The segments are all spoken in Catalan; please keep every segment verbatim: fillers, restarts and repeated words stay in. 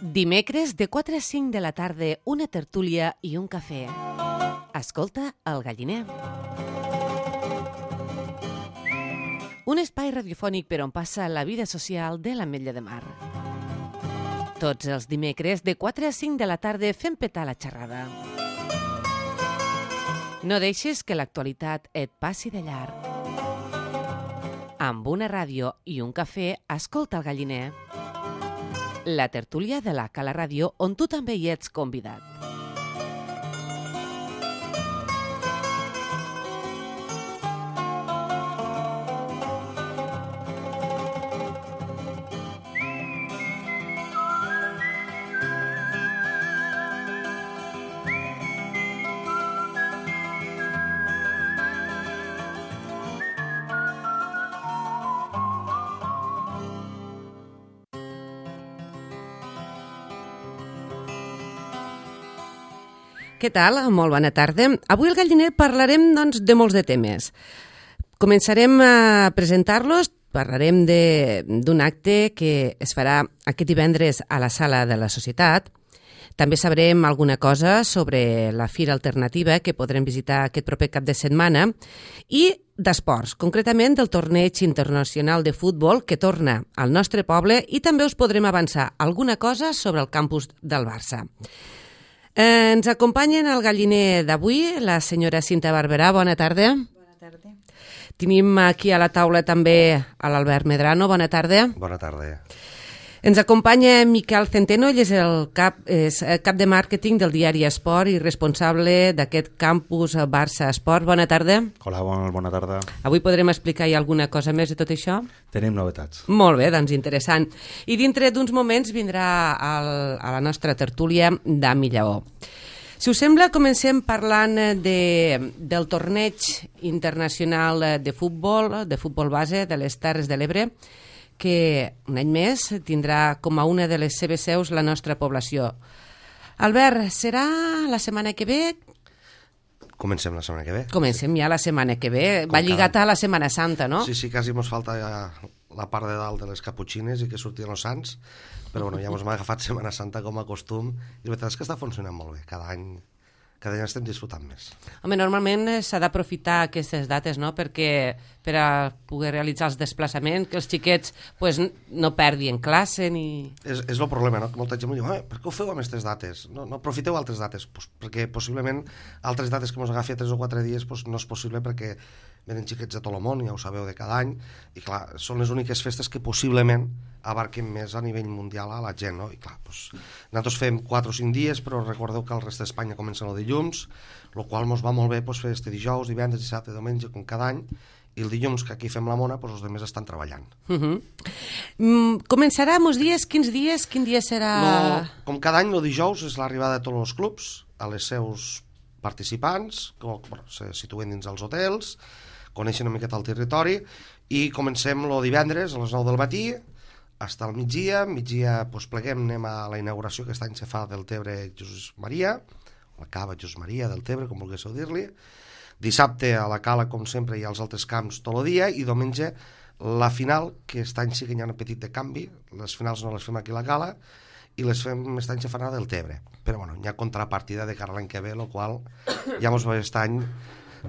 Dimecres de quatre a cinc de la tarda, una tertúlia i un cafè. Escolta El Galliner. Un espai radiofònic per on passa la vida social de l'Ametlla de Mar. Tots els dimecres de quatre a cinc de la tarda fem petar la xerrada. No deixes que l'actualitat et passi de llarg. Amb una ràdio i un cafè, escolta El Galliner. La tertúlia de la Cala Ràdio, on tu també hi ets convidat. Què tal? Molt bona tarda. Avui al Galliner parlarem doncs, de molts de temes. Començarem a presentar-los, parlarem d'un acte que es farà aquest divendres a la Sala de la Societat. També sabrem alguna cosa sobre la Fira Alternativa que podrem visitar aquest proper cap de setmana i d'esports, concretament del Torneig Internacional de Futbol que torna al nostre poble i també us podrem avançar alguna cosa sobre el campus del Barça. Eh, ens acompanyen al Galliner d'avui la senyora Cinta Barberà. Bona tarda. Bona tarda. Tenim aquí a la taula també a l'Albert Medrano. Bona tarda. Bona tarda. Ens acompanya Miquel Centeno, ell és el cap, és cap de màrqueting del diari Esport i responsable d'aquest campus Barça Esport. Bona tarda. Hola, bona, bona tarda. Avui podrem explicar alguna cosa més de tot això? Tenim novetats. Molt bé, doncs interessant. I dintre d'uns moments vindrà al, a la nostra tertúlia Dami Lleó. Si us sembla, comencem parlant de, del torneig internacional de futbol, de futbol base de les Terres de l'Ebre, que un any més tindrà com a una de les seves seus la nostra població. Albert, serà la setmana que ve? Comencem la setmana que ve. Comencem ja la setmana que ve. Com Va lligat cada... a la Setmana Santa, no? Sí, sí, quasi ens falta ja la part de dalt de les caputxines i que sortien els sants, però bueno, ja ens hem agafat Setmana Santa com a costum i la veritat és que està funcionant molt bé. Cada any cada any estem disfrutant més. Home, normalment s'ha d'aprofitar aquestes dates, no?, perquè per a poder realitzar els desplaçaments, que els xiquets pues, no perdin classe ni... És, és el problema, no?, que molta gent em diu, per què ho feu amb aquestes dates? No, no aprofiteu altres dates? Pues perquè possiblement altres dates que ens agafi a tres o quatre dies pues, no és possible perquè venen xiquets de tot el món, ja ho sabeu, de cada any, i clar, són les úniques festes que possiblement abarquen més a nivell mundial a la gent, no? I clar, doncs, nosaltres fem quatre o cinc dies, però recordeu que el rest d'Espanya comença el dilluns, el qual ens va molt bé doncs, fer este dijous, divendres, dissabte, diumenge, com cada any, i el dilluns, que aquí fem la mona, doncs, els altres estan treballant. Uh -huh. mm, començarà uns dies, quins dies? Quin dia serà? No, com cada any, el dijous és l'arribada de tots els clubs, a les seus participants, que bueno, se situen dins els hotels, coneixen una miqueta el territori, i comencem el divendres a les nou del matí, fins al migdia, migdia doncs, pleguem, anem a la inauguració que aquest any se fa del Tebre Jesús Maria, la cava Jesús Maria del Tebre, com volguéssiu dir-li. Dissabte a la cala, com sempre, i als altres camps tot el dia, i diumenge la final, que aquest any sí que hi ha un petit de canvi, les finals no les fem aquí a la cala, i les fem aquest any se fan del Tebre. Però bueno, hi ha contrapartida de cara a l'any que ve, el qual ja ens va aquest any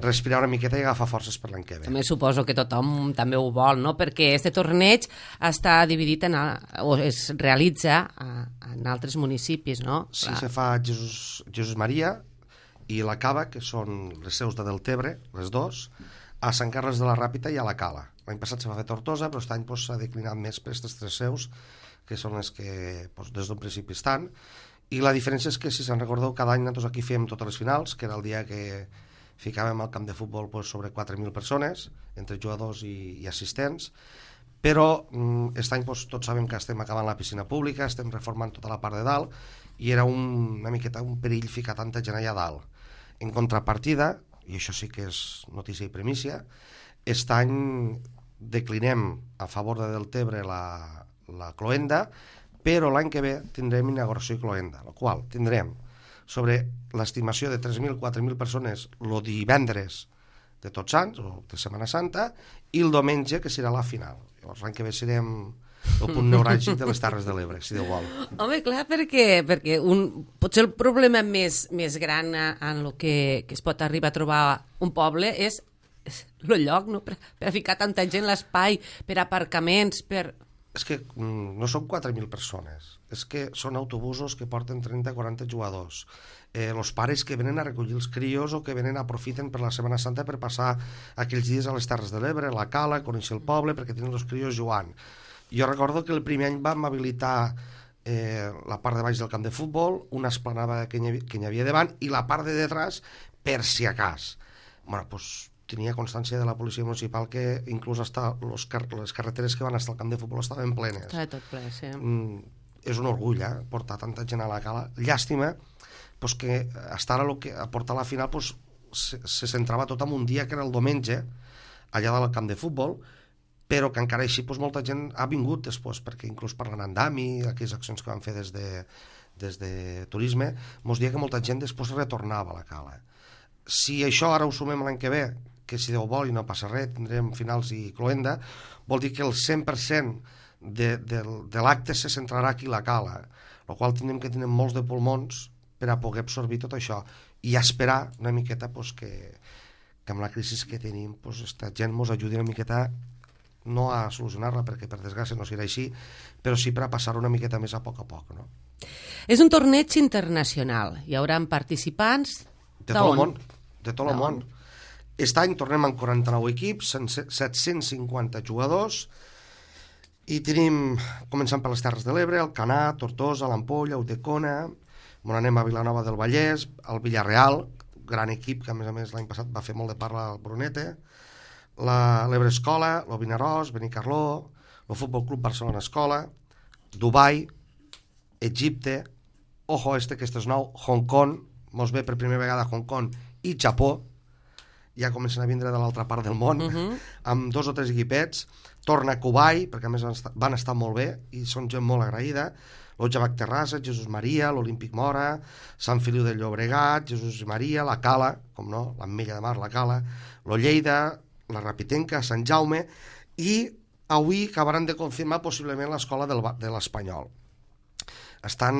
respirar una miqueta i agafar forces per l'any que ve. També suposo que tothom també ho vol, no? Perquè aquest torneig està dividit en, o es realitza en altres municipis, no? Sí, se fa Jesús, Jesús Maria i la Cava, que són les seus de Deltebre, les dos, a Sant Carles de la Ràpita i a la Cala. L'any passat se va fer Tortosa, però aquest any s'ha declinat més per aquestes tres seus, que són les que doncs, des d'un principi estan. I la diferència és que, si se'n recordeu, cada any nosaltres aquí fèiem totes les finals, que era el dia que ficàvem al camp de futbol pues, sobre quatre mil persones, entre jugadors i, i assistents, però aquest any pues, tots sabem que estem acabant la piscina pública, estem reformant tota la part de dalt, i era un, una miqueta un perill ficar tanta gent allà dalt. En contrapartida, i això sí que és notícia i primícia, aquest any declinem a favor de Deltebre la, la cloenda, però l'any que ve tindrem inauguració i cloenda, la qual tindrem sobre l'estimació de tres mil a quatre mil persones el divendres de Tots Sants, o de Setmana Santa, i el diumenge, que serà la final. Llavors l'any que ve serem el punt neuràlgic de les Terres de l'Ebre, si Déu vol. Home, clar, perquè, perquè un, potser el problema més, més gran en el que, que es pot arribar a trobar un poble és el lloc, no? Per, per a ficar tanta gent, l'espai, per aparcaments, per... És que mm, no són quatre mil persones, és que són autobusos que porten trenta o quaranta jugadors. Eh, els pares que venen a recollir els crios o que venen aprofiten per la Setmana Santa per passar aquells dies a les Terres de l'Ebre, a la Cala, conèixer el poble, perquè tenen els crios jugant. Jo recordo que el primer any vam habilitar eh, la part de baix del camp de futbol, una esplanada que n'hi havia, que n'hi havia davant, i la part de detrás, per si a cas. Bueno, doncs tenia constància de la policia municipal que inclús hasta los car les carreteres que van estar al camp de futbol estaven plenes. Estava tot ple, sí. Mm, és un orgull, eh, portar tanta gent a la Cala. Llàstima pues, que hasta ara lo que a portar a la final pues, se, se centrava tot en un dia que era el diumenge, allà del camp de futbol, però que encara així pues, molta gent ha vingut després, perquè inclús parlant amb Dami, aquelles accions que van fer des de, des de turisme, mos dia que molta gent després retornava a la Cala. Si això ara ho sumem l'any que ve, que si Déu vol i no passa res, tindrem finals i cloenda, vol dir que el cent per cent de, de, de l'acte se centrarà aquí a la Cala, el qual tindrem que tenir molts de pulmons per a poder absorbir tot això i esperar una miqueta pues, que, que amb la crisi que tenim pues, esta gent ens ajudi una miqueta no a solucionar-la, perquè per desgràcia no serà així, però sí per a passar una miqueta més a poc a poc. No? És un torneig internacional, hi haurà participants de tot el món, de tot el món. Aquest any tornem amb quaranta-nou equips, set-cents cinquanta jugadors, i tenim, començant per les Terres de l'Ebre, Alcanar, Tortosa, l'Ampolla, Ulldecona, on anem a Vilanova del Vallès, el Villarreal, gran equip que a més a més l'any passat va fer molt de parla al Brunete, l'Ebre Escola, el Vinaròs, Benicarló, el Futbol Club Barcelona Escola, Dubai, Egipte, ojo este que este és nou, Hong Kong, mos ve per primera vegada Hong Kong i Japó, ja comencen a vindre de l'altra part del món, uh -huh. amb dos o tres equipets, torna a Kubai, perquè a més van estar, van estar molt bé, i són gent molt agraïda, l'Otjabac Terrassa, Jesús Maria, l'Olímpic Mora, Sant Feliu del Llobregat, Jesús Maria, la Cala, com no, l'Ametlla de Mar, la Cala, lo Lleida, la Rapitenca, Sant Jaume, i avui acabaran de confirmar possiblement l'escola de l'Espanyol. Estan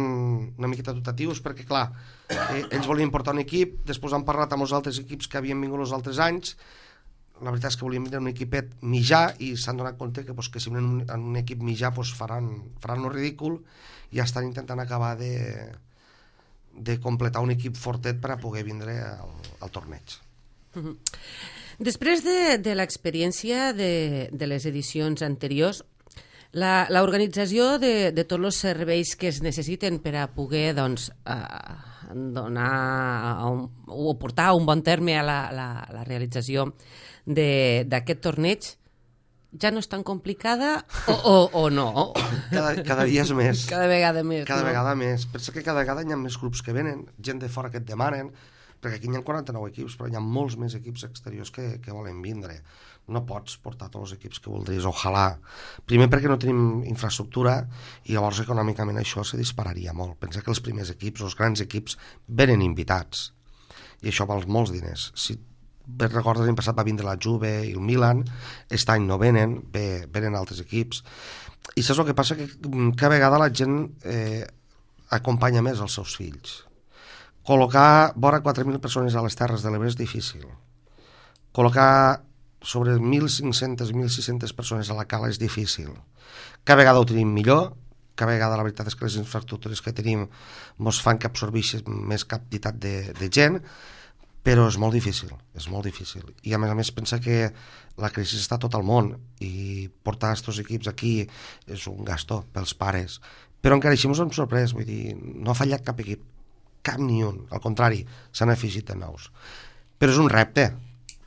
una miqueta dotatius perquè, clar, eh, ells volien portar un equip, després han parlat amb els altres equips que havien vingut els altres anys, la veritat és que volien vindre un equipet mitjà i s'han donat compte que, pues, que si venen en un equip mitjà pues, faran, faran el ridícul i estan intentant acabar de, de completar un equip fortet per a poder vindre al, al torneig. Uh-huh. Després de, de l'experiència de, de les edicions anteriors, l'organització de, de tots els serveis que es necessiten per a poder doncs, eh, donar un, o portar a un bon terme a la, la, la realització d'aquest torneig ja no és tan complicada o, o, o no? Cada, cada dia és més. Cada vegada més. Cada no? vegada més. Pensa que cada vegada hi ha més grups que venen, gent de fora que et demanen, perquè aquí hi ha quaranta-nou equips, però hi ha molts més equips exteriors que, que volen vindre. No pots portar tots els equips que voldries, ojalà. Primer perquè no tenim infraestructura i llavors econòmicament això se dispararia molt. Pensa que els primers equips, els grans equips, venen invitats i això val molts diners. Si bé recordes, l'any passat va vindre la Juve i el Milan, aquest any no venen, bé, venen altres equips. I saps el que passa? Que cada vegada la gent eh, acompanya més els seus fills. Col·locar vora quatre mil persones a les Terres de l'Ebre és difícil. Col·locar sobre mil cinc-centes, mil sis-centes persones a la Cala és difícil. Cada vegada ho tenim millor, cada vegada la veritat és que les infraestructures que tenim ens fan que absorbeixin més quantitat de, de gent, però és molt difícil, és molt difícil. I a més a més pensa que la crisi està a tot el món i portar aquests equips aquí és un gastó pels pares. Però encara així ens hem sorprès, vull dir, no ha fallat cap equip, cap ni un, al contrari, s'han afegit de nous. Però és un repte.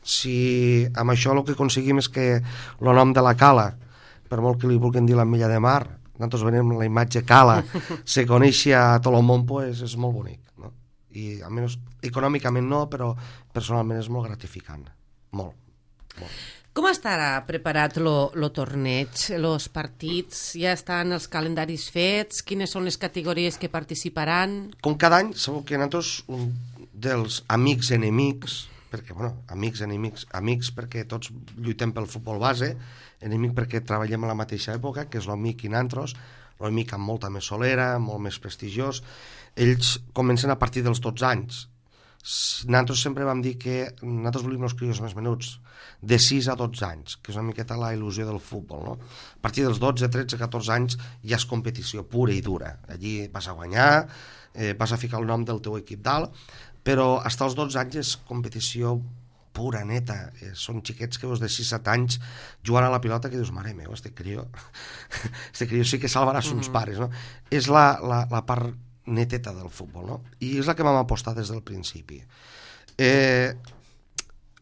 Si amb això el que aconseguim és que el nom de la Cala, per molt que li vulguin dir l'Ametlla de Mar, nosaltres venim la imatge Cala, se coneixi a tot el món, pues, és molt bonic, no? I almenys econòmicament no, però personalment és molt gratificant, molt, molt. Com estarà preparat el torneig? Els partits ja estan els calendaris fets? Quines són les categories que participaran? Com cada any, sabeu que nosaltres, un dels amics enemics perquè, bueno, amics, enemics, amics perquè tots lluitem pel futbol base, enemic perquè treballem a la mateixa època, que és l'Omic i Nantros, l'Omic amb molta més solera, molt més prestigiós. Ells comencen a partir dels dotze anys. Nosaltres sempre vam dir que nosaltres volíem els crios més menuts, de sis a dotze anys, que és una miqueta la il·lusió del futbol, no? A partir dels dotze, tretze, catorze anys ja és competició pura i dura. Allí vas a guanyar, eh, vas a ficar el nom del teu equip dalt, però fins als dotze anys és competició pura, neta. Eh, són xiquets que veus de sis a set anys jugant a la pilota que dius, mare meu, este crió este crió sí que salvarà sos mm-hmm. pares, no? És la, la, la part neteta del futbol, no? I és la que vam apostar des del principi. Eh,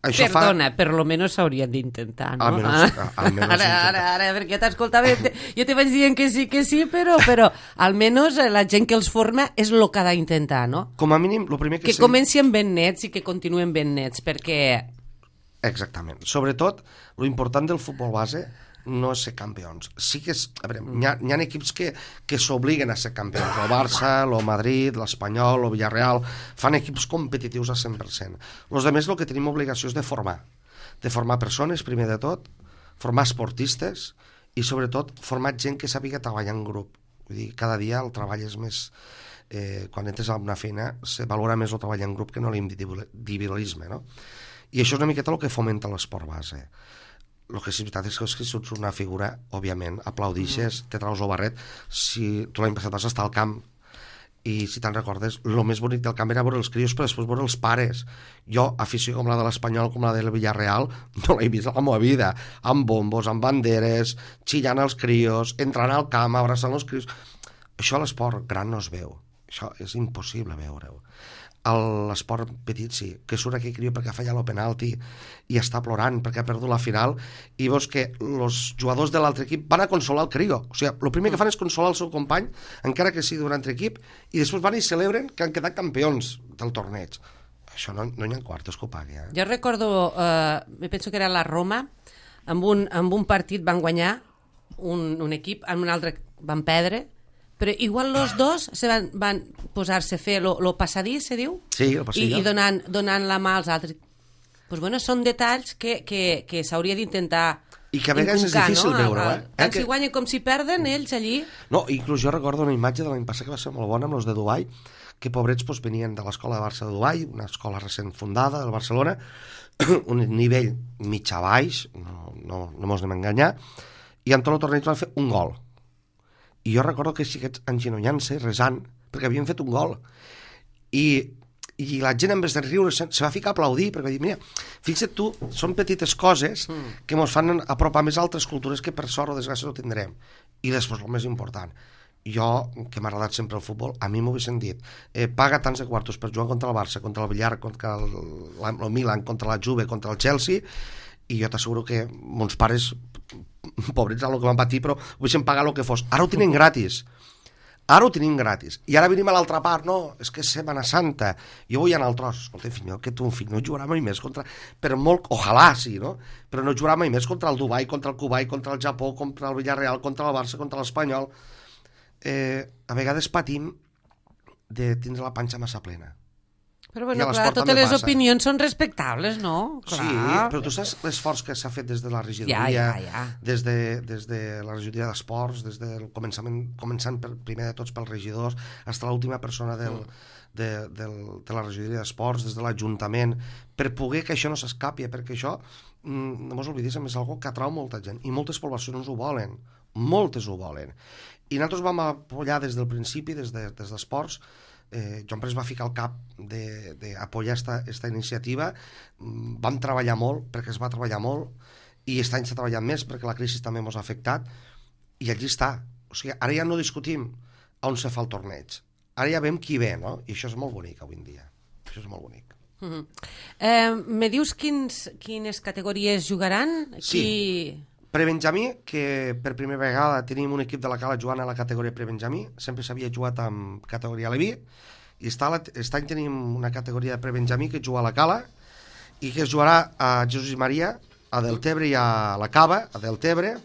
això Perdona, fa... per lo menos s'haurien d'intentar, no? Almenys, ah. almenys ara, ara, ara, perquè jo t'escoltava, jo te vaig dient que sí, que sí, però, però almenys la gent que els forma és el que ha d'intentar, no? Com a mínim, el primer que... Que sé... comencin ben nets i que continuen ben nets, perquè... Exactament. Sobretot, lo important del futbol base no és ser campions. Sí que és... A veure, mm. hi, ha, hi ha equips que, que s'obliguen a ser campions. El Barça, el Madrid, l'Espanyol, el Villarreal, fan equips competitius a cent per cent. Els altres el que tenim obligació és de formar. De formar persones, primer de tot, formar esportistes i, sobretot, formar gent que sàpiga treballar en grup. Vull dir, cada dia el treball és més... Eh, quan entres a una feina, se valora més el treball en grup que no l'individualisme, no? I això és una miqueta el que fomenta l'esport base. El que és veritat és que si ets una figura, òbviament, aplaudixes, mm. te traus el barret. Si tu l'any passat vas estar al camp i si te'n recordes, el més bonic del camp era veure els crios, però després veure els pares. Jo, afició com la de l'Espanyol, com la del Villarreal, no l'he vist a la meva vida, amb bombos, amb banderes, xillant els crios, entrant al camp, abraçant els crios. Això a l'esport gran no es veu. Això és impossible veure-ho. A l'esport petit sí, que surt aquell crió perquè ha fallat el penalti i està plorant perquè ha perdut la final i veus que els jugadors de l'altre equip van a consolar el crió. O sigui, el primer que fan és consolar el seu company, encara que sigui d'un altre equip, i després van i celebren que han quedat campions del torneig. Això no, no hi ha quartos que ho pagui. Eh? Jo recordo, eh, me penso que era la Roma, amb un, amb un partit van guanyar un, un equip, amb un altre van perdre, però igual els dos se van, van posar-se a fer el passadís, se diu? Sí, el passadís. I, i donant, donant la mà als altres. Pues bueno, són detalls que, que, que s'hauria d'intentar i que a vegades és difícil no? veure-ho. Eh? Tant que... si guanyen com si perden, ells allí... No, inclús jo recordo una imatge de l'any passat que va ser molt bona amb els de Dubai, que pobrets doncs, venien de l'escola de Barça de Dubai, una escola recent fundada del Barcelona, un nivell mitjà baix, no, no, no mos anem a enganyar, i en tot el torneig van fer un gol. I jo recordo que xiquets engenollant-se, resant, perquè havien fet un gol. I, i la gent, en vez de riure, se, se va ficar a aplaudir, perquè va dir, mira, fixa't tu, són petites coses mm. que ens fan apropar més a altres cultures que per sort o desgràcia no tindrem. I després, el més important, jo, que m'ha agradat sempre el futbol, a mi m'ho haguessin dit, eh, paga tants de quartos per jugar contra el Barça, contra el Villar, contra el, el Milan, contra la Juve, contra el Chelsea, i jo t'asseguro que mons pares, pobrets el que van patir, però ho deixen pagar el que fos. Ara ho tenen gratis. Ara ho tenim gratis. I ara venim a l'altra part, no, és que és Setmana Santa. Jo vull anar al tros. Escolta, fill meu, que tu, fill, no jugarà mai més contra... Per molt, ojalà sí, no? Però no jugarà mai més contra el Dubai, contra el Kuwait, contra el Japó, contra el Villarreal, contra el Barça, contra l'Espanyol. Eh, a vegades patim de tindre la panxa massa plena. Però bueno, clar, totes les passa. Opinions són respectables, no? Clar. Sí, però tu saps l'esforç que s'ha fet des de la regidoria, ja, ja, ja. Des, de, des de la regidoria d'esports, des del començament, començant per, primer de tots pels regidors, fins a l'última persona del, de, del, de la regidoria d'esports, des de l'Ajuntament, per poder que això no s'escapi, perquè això, no mos oblidis, és algo que atrau molta gent, i moltes poblacions ho volen, moltes ho volen. I nosaltres vam apoyar des del principi, des de, des d'esports, Eh, Joan Pérez va ficar al cap d'apoyar aquesta iniciativa, vam treballar molt perquè es va treballar molt i aquest any s'ha treballat més perquè la crisi també ens ha afectat i allí està. O sigui, ara ja no discutim on se fa el torneig, ara ja veiem qui ve, no? I això és molt bonic avui en dia, això és molt bonic. Uh-huh. eh, me dius quins, quines categories jugaran? Sí. Qui... Prebenjamí, que per primera vegada tenim un equip de la Cala jugant a la categoria prebenjamí, sempre s'havia jugat amb categoria Leví, i aquest any tenim una categoria de prebenjamí que juga a la Cala i que es jugarà a Jesús i Maria, a Deltebre i a la Cava, a Deltebre.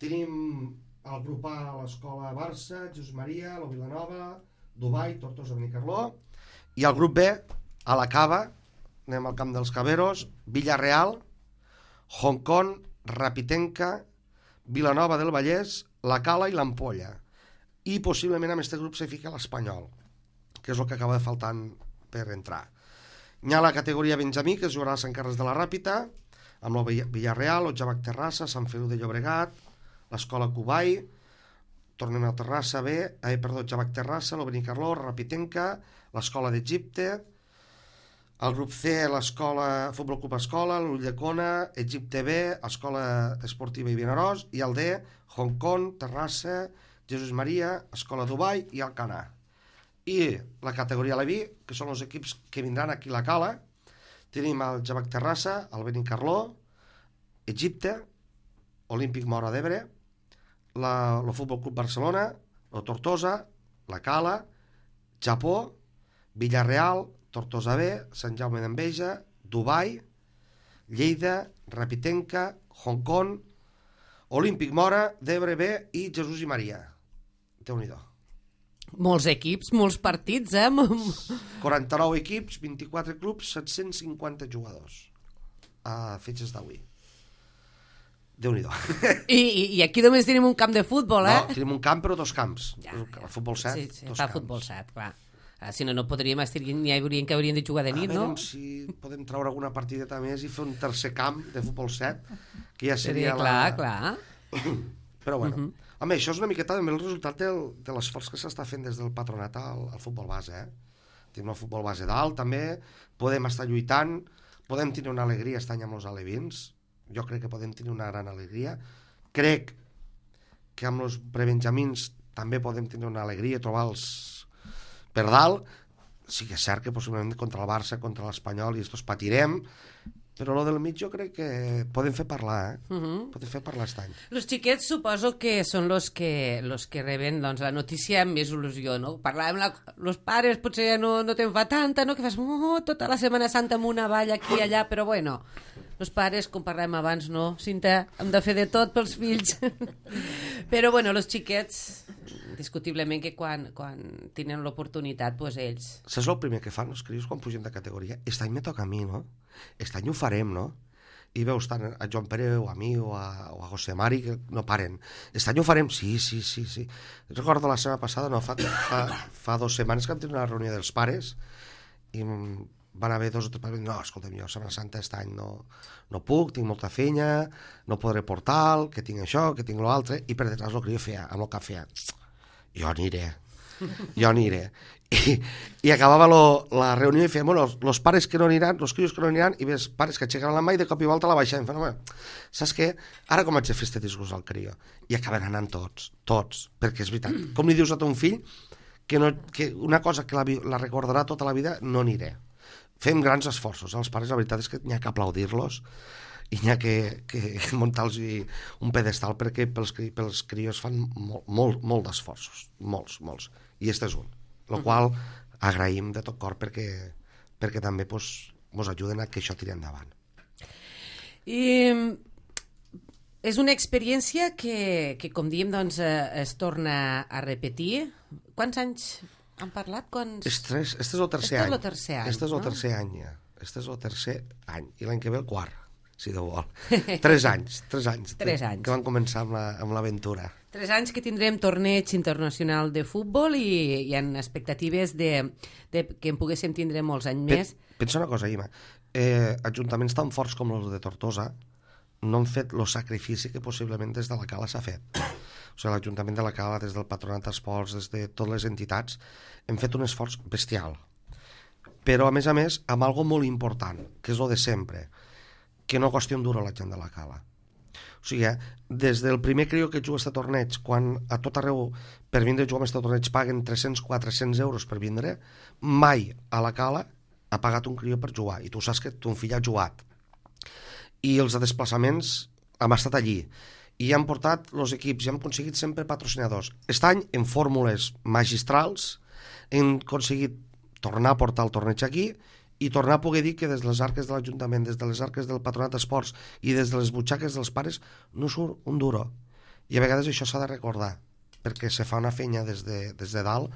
Tenim el grup A a l'escola Barça, Jesús Maria, la Vilanova, Dubai, Tortosa, Benicarló, i el grup B a la Cava, anem al camp dels Caberos, Villarreal, Hong Kong, Rapitenca, Vilanova del Vallès, la Cala i l'Ampolla. I possiblement amb aquest grup se fica l'Espanyol, que és el que acaba de faltant per entrar. Hi ha la categoria Benjamí, que es jugarà a Sant Carles de la Ràpita, amb el Villarreal, el Javac Terrassa, Sant Feliu de Llobregat, l'Escola Cubai, tornem a Terrassa B, eh, perdó, Javac Terrassa, el Benicarló, Rapitenca, l'Escola d'Egipte, el grup C, l'Escola Futbol Club Escola, l'Ulldecona, Egipte B, Escola Esportiva i Vinaròs, i el D, Hong Kong, Terrassa, Jesús Maria, Escola Dubai i Alcanar. I la categoria Leví, que són els equips que vindran aquí a la Cala, tenim el Javac Terrassa, el Benicarló, Egipte, Olímpic Móra d'Ebre, el Futbol Club Barcelona, el Tortosa, la Cala, Japó, Villarreal, Tortosa B, Sant Jaume d'Enveja, Dubai, Lleida, Rapitenca, Hong Kong, Olímpic Móra d'Ebre B i Jesús i Maria. Déu-n'hi-do. Molts equips, molts partits, eh? quaranta-nou equips, vint-i-quatre clubs, set-cents cinquanta jugadors a fetges d'avui. Déu-n'hi-do. I, i, I aquí només tenim un camp de futbol, eh? No, tenim un camp però dos camps. Ja, ja. El futbol set, sí, sí, dos fa camps. Futbol set, clar. Ah, si no, no podríem estar... N'hi haurien que haurien de jugar de nit, a no? A veure si podem treure alguna partideta més i fer un tercer camp de futbol set, que ja seria, seria clar, la... clar. Però bueno, uh uh-huh. -huh. Home, això és una miqueta també el resultat del, de l'esforç que s'està fent des del patronat al, al futbol base, eh? Tenim el futbol base dalt, també, podem estar lluitant, podem tenir una alegria aquest any amb els alevins, jo crec que podem tenir una gran alegria, crec que amb els prebenjamins també podem tenir una alegria, trobar-los per dalt, sí que és cert que possiblement contra el Barça, contra l'Espanyol, i estos patirem, però lo del mig jo crec que podem fer parlar, eh? Uh-huh. Podem fer parlar aquest any. Los xiquets suposo que són los que, los que reben doncs, la notícia amb més il·lusió, no? Parlàvem, la, los pares potser ja no, no te'n fa tanta, no? Que fas oh, tota la Setmana Santa amb una valla aquí i allà, però bueno, los pares, com parlàvem abans, no? Cinta, hem de fer de tot pels fills. Però bueno, los xiquets, discutiblement que quan, quan tenen l'oportunitat, doncs ells... Saps el primer que fan els crios quan pugen de categoria? Aquest any me toca a mi, no? Aquest any ho farem, no? I veus tant a Joan Pere o a mi o a, o a José Mari que no paren. Aquest any ho farem? Sí, sí, sí, sí. Recordo la setmana passada, no, fa, fa, fa dues setmanes que vam tenir una reunió dels pares i van haver dos o tres pares, no, escolta'm, jo Setmana Santa aquest any no, no puc, tinc molta feina, no podré portar, que tinc això, que tinc l'altre, i per detrás el crió feia, amb el que feia, jo aniré, jo aniré. I, i acabava lo, la reunió i feia, bueno, els pares que no aniran, els crios que no aniran, i ves pares que aixecaran la mà i de cop i volta la baixaven. Feien, bueno, saps què? Ara com haig de fer este disgust al crió? I acaben anant tots, tots, perquè és veritat. Com li dius a ton fill que, no, que una cosa que la, la recordarà tota la vida, no aniré. Fem grans esforços, els pares, la veritat és que n'hi ha que aplaudir-los i n'hi ha que, que muntar-los un pedestal perquè pels, pels crios fan molt, molt, molt d'esforços, molts, molts, i este és un, el uh-huh. qual agraïm de tot cor perquè, perquè també pues, mos ajuden a que això tiri endavant. I és una experiència que, que com diem, doncs, es torna a repetir. Quants anys han parlat? Quants... Este és, este és el tercer any. Este és el tercer any, este és el no? tercer any, ja. Este és el tercer any. I l'any que ve el quart, si Déu vol. Tres anys, tres anys. Tres anys. Que van començar amb l'aventura. La, tres anys que tindrem torneig internacional de futbol i hi ha expectatives de, de que en poguéssim tindre molts anys Pe més. Pensa una cosa, Ima. Eh, ajuntaments tan forts com els de Tortosa no han fet el sacrifici que possiblement des de la Cala s'ha fet. O sigui, l'Ajuntament de la Cala, des del Patronat d'Esports, des de totes les entitats, hem fet un esforç bestial. Però, a més a més, amb algo molt important, que és el de sempre, que no costi un duro a la gent de la Cala. O sigui, des del primer crió que juga a torneig, quan a tot arreu per vindre a jugar a aquest torneig paguen tres-cents a quatre-cents euros per vindre, mai a la Cala ha pagat un crió per jugar. I tu saps que ton fill ha jugat. I els desplaçaments hem estat allí. I han portat els equips i hem aconseguit sempre patrocinadors. Aquest any, en fórmules magistrals, hem aconseguit tornar a portar el torneig aquí i tornar a poder dir que des de les arques de l'Ajuntament, des de les arques del Patronat d'Esports i des de les butxaques dels pares no surt un duro. I a vegades això s'ha de recordar, perquè se fa una feina des de, des de dalt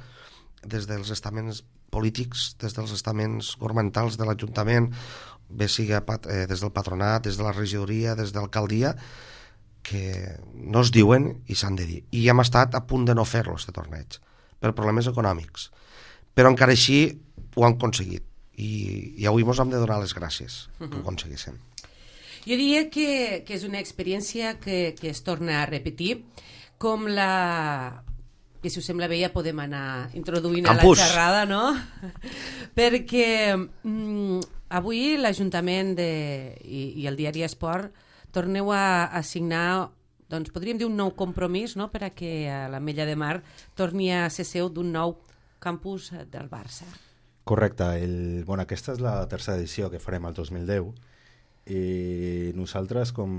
des dels estaments polítics, des dels estaments governamentals de l'Ajuntament, bé sigui eh, des del patronat, des de la regidoria, des de l'alcaldia, que no es diuen i s'han de dir. I hem estat a punt de no fer-lo, aquest torneig, per problemes econòmics. Però encara així ho han aconseguit. I, i avui ens hem de donar les gràcies uh-huh. que ho aconseguíssim. Jo diria que, que és una experiència que, que es torna a repetir, com la... que si us sembla bé ja podem anar introduint Campus. A la xerrada, no? Perquè mm, avui l'Ajuntament de, i, i el diari Esport torneu a, a signar, doncs podríem dir un nou compromís, no?, per a que l'Ametlla de Mar torni a ser seu d'un nou campus del Barça. Correcte. El, bueno, aquesta és la tercera edició que farem el dos mil deu. I nosaltres, com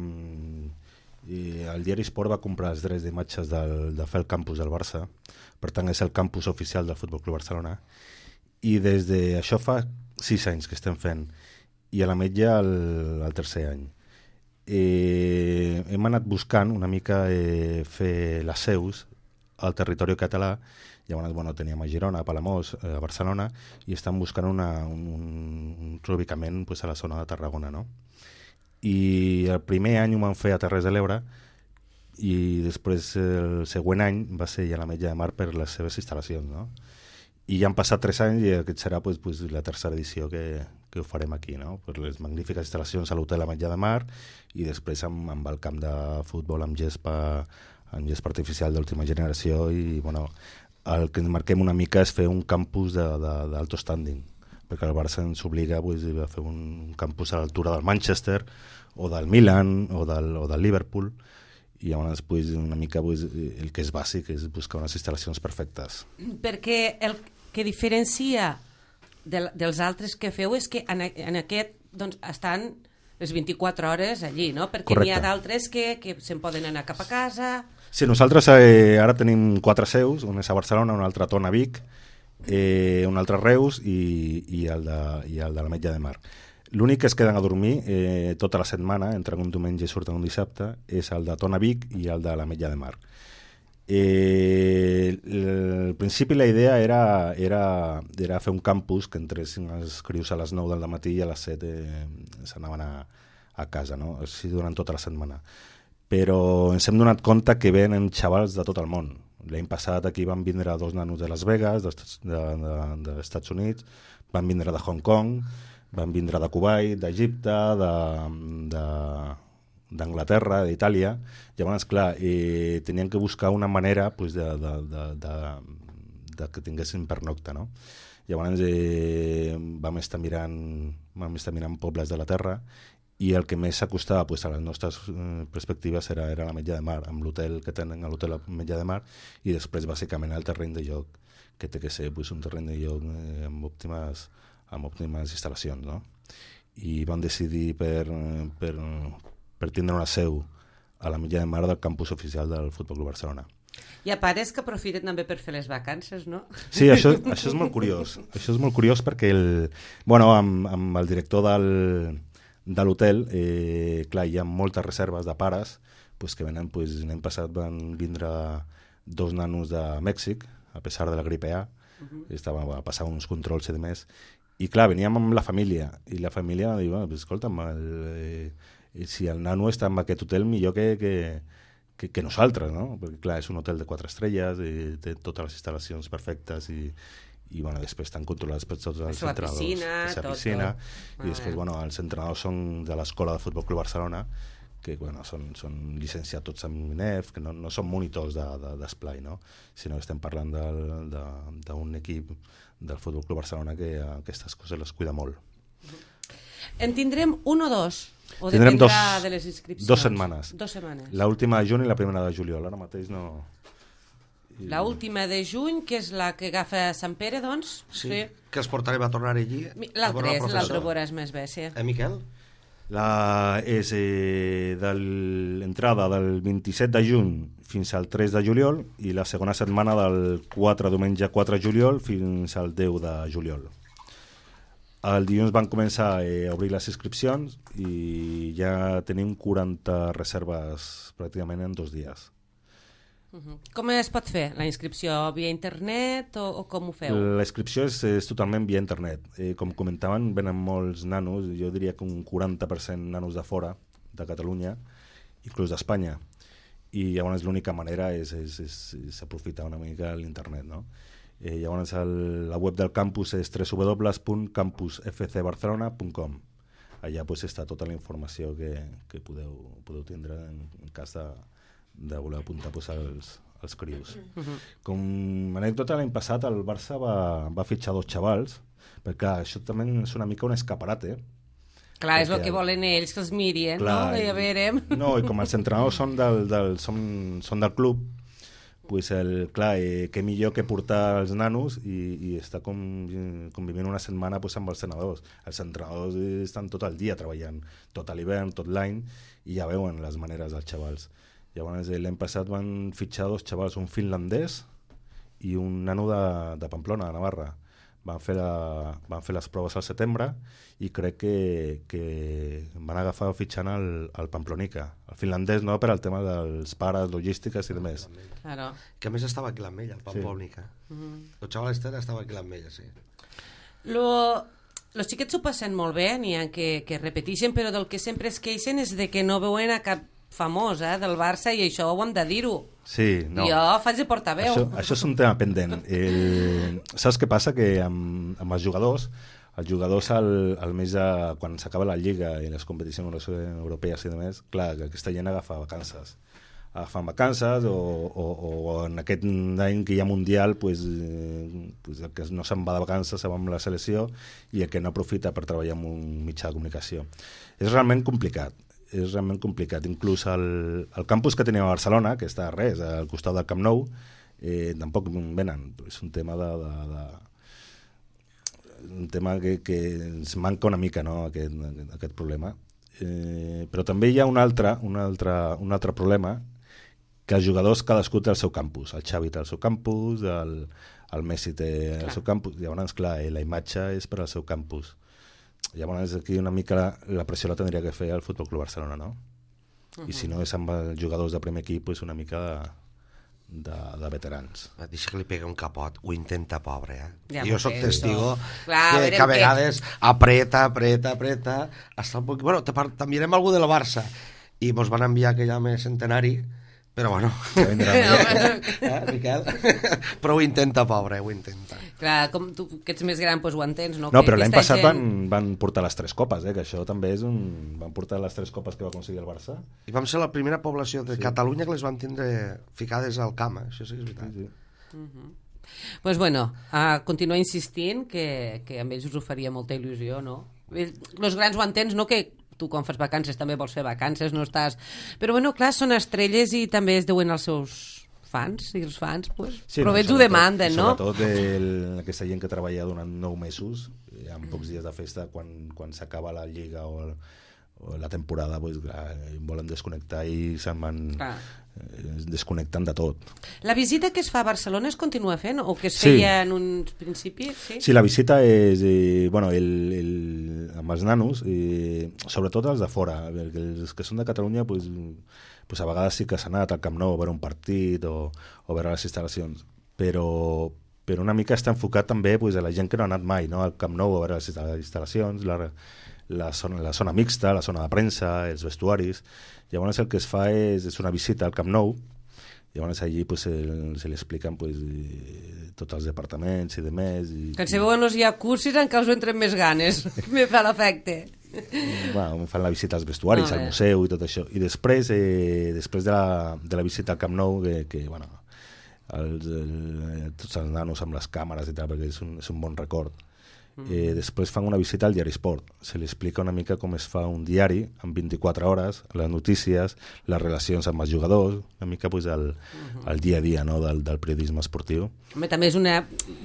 i el diari Esport va comprar els drets d'imatges del, de fer el campus del Barça, per tant és el campus oficial del Futbol Club Barcelona, i des de això fa sis anys que estem fent, i a l'Ametlla el, el tercer any. Eh, hem anat buscant una mica eh, fer les seus al territori català. Llavors, bueno, teníem a Girona, a Palamós, a Barcelona, i estan buscant una, un, un reubicament pues, a la zona de Tarragona, no? I el primer any ho van fer a Terres de l'Ebre, i després el següent any va ser ja a l'Ametlla de Mar per les seves instal·lacions, no? I ja han passat tres anys i aquest serà pues, pues, la tercera edició que, que ho farem aquí, no? Per les magnífiques instal·lacions a l'hotel Ametlla de Mar i després amb, amb el camp de futbol amb gespa, amb gespa artificial d'última generació i, bueno, el que ens marquem una mica és fer un campus d'alto standing, perquè el Barça ens obliga pues, a fer un campus a l'altura del Manchester o del Milan o del, o del Liverpool, i llavors pues, una mica pues, el que és bàsic és buscar unes instal·lacions perfectes. Perquè el que diferencia de, dels altres que feu és que en, en aquest doncs, estan les vint-i-quatre hores allí, no? Perquè n'hi ha d'altres que, que se'n poden anar cap a casa... Sí, nosaltres eh, ara tenim quatre seus, una és a Barcelona, una altra a Tona, Vic, eh, un altre a Reus i, i el de, i el de l'Ametlla de Mar. L'únic que es queden a dormir eh, tota la setmana, entre un diumenge i surten un dissabte, és el de Tona, Vic i el de l'Ametlla de Mar. Eh, al principi la idea era, era, era fer un campus que entressin els crius a les nou del matí i a les set eh, s'anaven a, a casa, no? Així durant tota la setmana. Però ens hem donat compte que venen xavals de tot el món. L'any passat aquí van vindre dos nanos de Las Vegas, dels de, de, de Estats Units, van vindre de Hong Kong, van vindre de Kuwait, d'Egipte, de... de d'Anglaterra, d'Itàlia. Llavors, clar, eh, tenien que buscar una manera pues, de, de, de, de, de que tinguessin pernocta, no? Llavors eh, vam estar mirant vam estar mirant pobles de la terra i el que més s'acostava pues, a les nostres eh, perspectives era, era l'Ametlla de Mar, amb l'hotel que tenen a l'hotel Ametlla de Mar, i després bàsicament el terreny de joc, que té que ser pues, un terreny de joc eh, amb òptimes amb òptimes instal·lacions, no? I vam decidir per, per per tindre una seu a l'Ametlla de Mar del campus oficial del Futbol Club Barcelona. Hi ha pares que aprofiten també per fer les vacances, no? Sí, això, això és molt curiós. Això és molt curiós perquè el, bueno, amb, amb el director del, de l'hotel, eh, clar, hi ha moltes reserves de pares pues, que venen, pues, l'any passat van vindre dos nanos de Mèxic, a pesar de la gripe A, uh-huh. Estaven a passar uns controls i demés, i clar, veníem amb la família, i la família va dir, bueno, pues, escolta'm, el... Eh, si el nano està en aquest hotel millor que, que, que, que nosaltres, no? Perquè clar, és un hotel de quatre estrelles i té totes les instal·lacions perfectes i, i bueno, després estan controlats per tots els la entrenadors. Piscina, la tot, piscina, tot. I després, ah, bueno, els entrenadors són de l'Escola de Futbol Club Barcelona, que bueno, són, són llicenciats tots amb I N E F, que no, no són monitors d'esplai, de, de, no? Sinó que estem parlant d'un equip del Futbol Club Barcelona que aquestes coses les cuida molt. En tindrem un o dos? O tindrem dos, de les inscripcions? Dos setmanes. Dos setmanes. L'última de juny i la primera de juliol. Ara mateix no... I... L'última de juny, que és la que agafa Sant Pere, doncs? Sí, sí. Que els portarem a tornar allí. L'altre és, l'altre veuràs més bé, sí. Eh, Miquel? La, és eh, de l'entrada del vint-i-set de juny fins al tres de juliol i la segona setmana del quatre, diumenge quatre de juliol fins al deu de juliol. El dilluns van començar eh, a obrir les inscripcions i ja tenim quaranta reserves pràcticament en dos dies. Uh-huh. Com es pot fer la inscripció? Via internet o, o com ho feu? La inscripció és, és totalment via internet. Eh, com comentaven, venen molts nanos, jo diria que un quaranta per cent nanos de fora, de Catalunya, inclús d'Espanya. I llavors l'única manera és, és, és, és aprofitar una mica l'internet, no? Eh, llavors el, la web del campus és w w w punt campus f c barcelona punt com. Allà pues, està tota la informació que, que podeu, podeu tindre en, en cas de, de voler apuntar pues, els, els crius. Uh-huh. Com a anècdota, l'any passat el Barça va, va fitxar dos xavals, perquè clar, això també és una mica un escaparate. Clar, és el que volen ells, que els mirin, clar, no? I a veure... No, i com els entrenadors són del, del, són, són del club, pues el, clar, eh, què millor que portar els nanos i, i estar com, convivint una setmana pues, amb els entrenadors. Els entrenadors estan tot el dia treballant, tot l'hivern, tot l'any, i ja veuen les maneres dels xavals. Llavors l'any passat van fitxar dos xavals, un finlandès i un nano de, de Pamplona, de Navarra. Van fer, la, van fer les proves al setembre i crec que, que van agafar fitxant el, el Pamplonica. El finlandès no, per al tema dels pares, logístiques i demés. Claro. Que a més estava aquí l'Ametlla, el Pamplonica. Sí. Mm-hmm. El xaval este estava aquí l'Ametlla, sí. Lo... Los xiquets s'ho passen molt bé, n'hi ha que, que repeteixen, però del que sempre es queixen és de que no veuen a cap famós eh, del Barça i això ho hem de dir-ho. Sí, no. Jo faig de portaveu. Això, això és un tema pendent. El... Saps què passa? Que amb, amb els jugadors, els jugadors al, al mes de, quan s'acaba la Lliga i les competicions europees i demés, clar, que aquesta gent agafa vacances. Agafen vacances o, o, o en aquest any que hi ha Mundial pues, eh, pues el que no se'n va de vacances se va amb la selecció i el que no aprofita per treballar en un mitjà de comunicació. És realment complicat. és realment complicat. Inclús el, el campus que tenim a Barcelona, que està a res, al costat del Camp Nou, eh, tampoc venen. És un tema de... de, de un tema que, que ens manca una mica, no?, aquest, aquest problema. Eh, però també hi ha un altre, un, altre, un altre problema, que els jugadors cadascú té el seu campus. El Xavi té el seu campus, el, el Messi té clar. el seu campus. Llavors, clar, la imatge és per al seu campus. Llavors aquí una mica la, la pressió la tindria que fer el Futbol Club Barcelona, no? Uh-huh. I si no és amb els jugadors de primer equip, és una mica de, de, de veterans. Deixa que li pega un capot, ho intenta, pobre, eh? Ja jo sóc testigo clar, que, que a vegades que... apreta, apreta, apreta, hasta un poc... Bueno, t'enviarem algú del Barça i mos van enviar aquell home centenari, però bueno, eh, Miquel? Però ho intenta, pobre, ho intenta. Clar, com tu que ets més gran, doncs ho entens, no? No, que però l'any passat gent... van, van portar les tres copes, eh? Que això també és un... Van portar les tres copes que va aconseguir el Barça. I vam ser la primera població de sí. Catalunya que les van tindre ficades al camp, eh? Això sí que és veritat. Sí, sí. Uh-huh. Pues bueno, a continuar insistint que, que a ells us ho faria molta il·lusió, no? Els grans ho entens, no? Que tu quan fas vacances també vols fer vacances, no estàs... Però bueno, clar, són estrelles i també es deuen als seus fans, i els fans, pues, sí, però no, ells ho demanden, no? Sobretot el, aquesta gent que treballa durant nou mesos, amb pocs dies de festa, quan, quan s'acaba la Lliga o, el, o la temporada, pues, clar, volen desconnectar i se'n van... Clar. Es desconnecten de tot. La visita que es fa a Barcelona es continua fent o que es feia sí. en un principi? Sí, sí, la visita és eh, bueno, el, el, amb els nanos eh, sobretot els de fora, els que són de Catalunya pues, pues a vegades sí que s'ha anat al Camp Nou a veure un partit o, o a veure les instal·lacions, però, però una mica està enfocat també pues, a la gent que no ha anat mai, no? Al Camp Nou a veure les instal·lacions, la, la, zona, la zona mixta, la zona de premsa, els vestuaris. Llavors el que es fa és, és una visita al Camp Nou, llavors allí pues, el, se li expliquen pues, eh, tots els departaments i demés. I, que si veuen els jacuzzi encara us entren més ganes, me fa l'efecte. Bueno, fan la visita als vestuaris, no, al museu i tot això. I després, eh, després de, la, de la visita al Camp Nou, que, que bueno, els, el, tots els nanos amb les càmeres i tal, perquè és un, és un bon record. Eh, després fan una visita al diari Esport, se li explica una mica com es fa un diari en vint-i-quatre hores, les notícies, les relacions amb els jugadors, una mica pues, el, el dia a dia, no, del, del periodisme esportiu. Home, també és una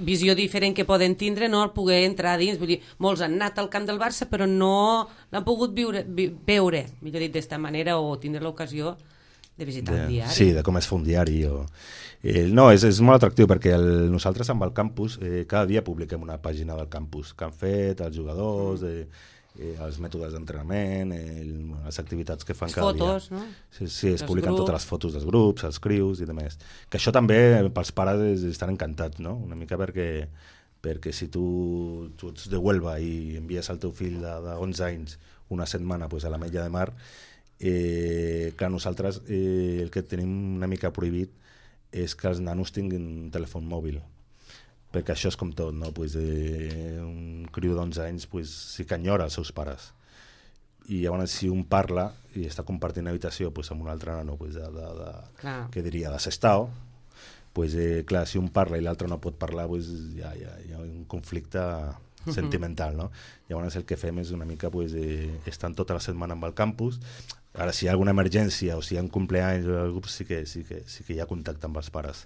visió diferent que poden tindre, no, el poder entrar dins, vull dir, molts han anat al camp del Barça però no l'han pogut viure, vi, veure, millor dit, d'esta manera o tindre l'ocasió de visitar de, un diari. Sí, de com es fa un diari. O... Eh, no, és, és molt atractiu perquè el, nosaltres amb el campus eh, cada dia publiquem una pàgina del campus que han fet, els jugadors, eh, eh, els mètodes d'entrenament, eh, les activitats que fan les cada fotos, dia. No? Sí, sí, es Els publiquen grups. totes les fotos dels grups, els crius i demés. Que això també pels pares estan encantats, no? Una mica perquè, perquè si tu, tu ets de Huelva i envies el teu fill de, de onze anys una setmana pues, a la Mella de Mar, eh, clar, nosaltres eh, el que tenim una mica prohibit és que els nanos tinguin un telèfon mòbil, perquè això és com tot, no? Pues, eh, un criu d'onze anys pues, sí que enyora els seus pares, i llavors si un parla i està compartint habitació pues, amb un altre nano pues, de, de, de, que diria de Sestao, pues, eh, clar, si un parla i l'altre no pot parlar pues, ja, ja, hi ha un conflicte sentimental, no? Llavors el que fem és una mica pues, eh, estan tota la setmana amb el campus. Ara si hi ha alguna emergència o si hi ha un cumpleaños sí que, sí que, sí que hi ha contacte amb els pares.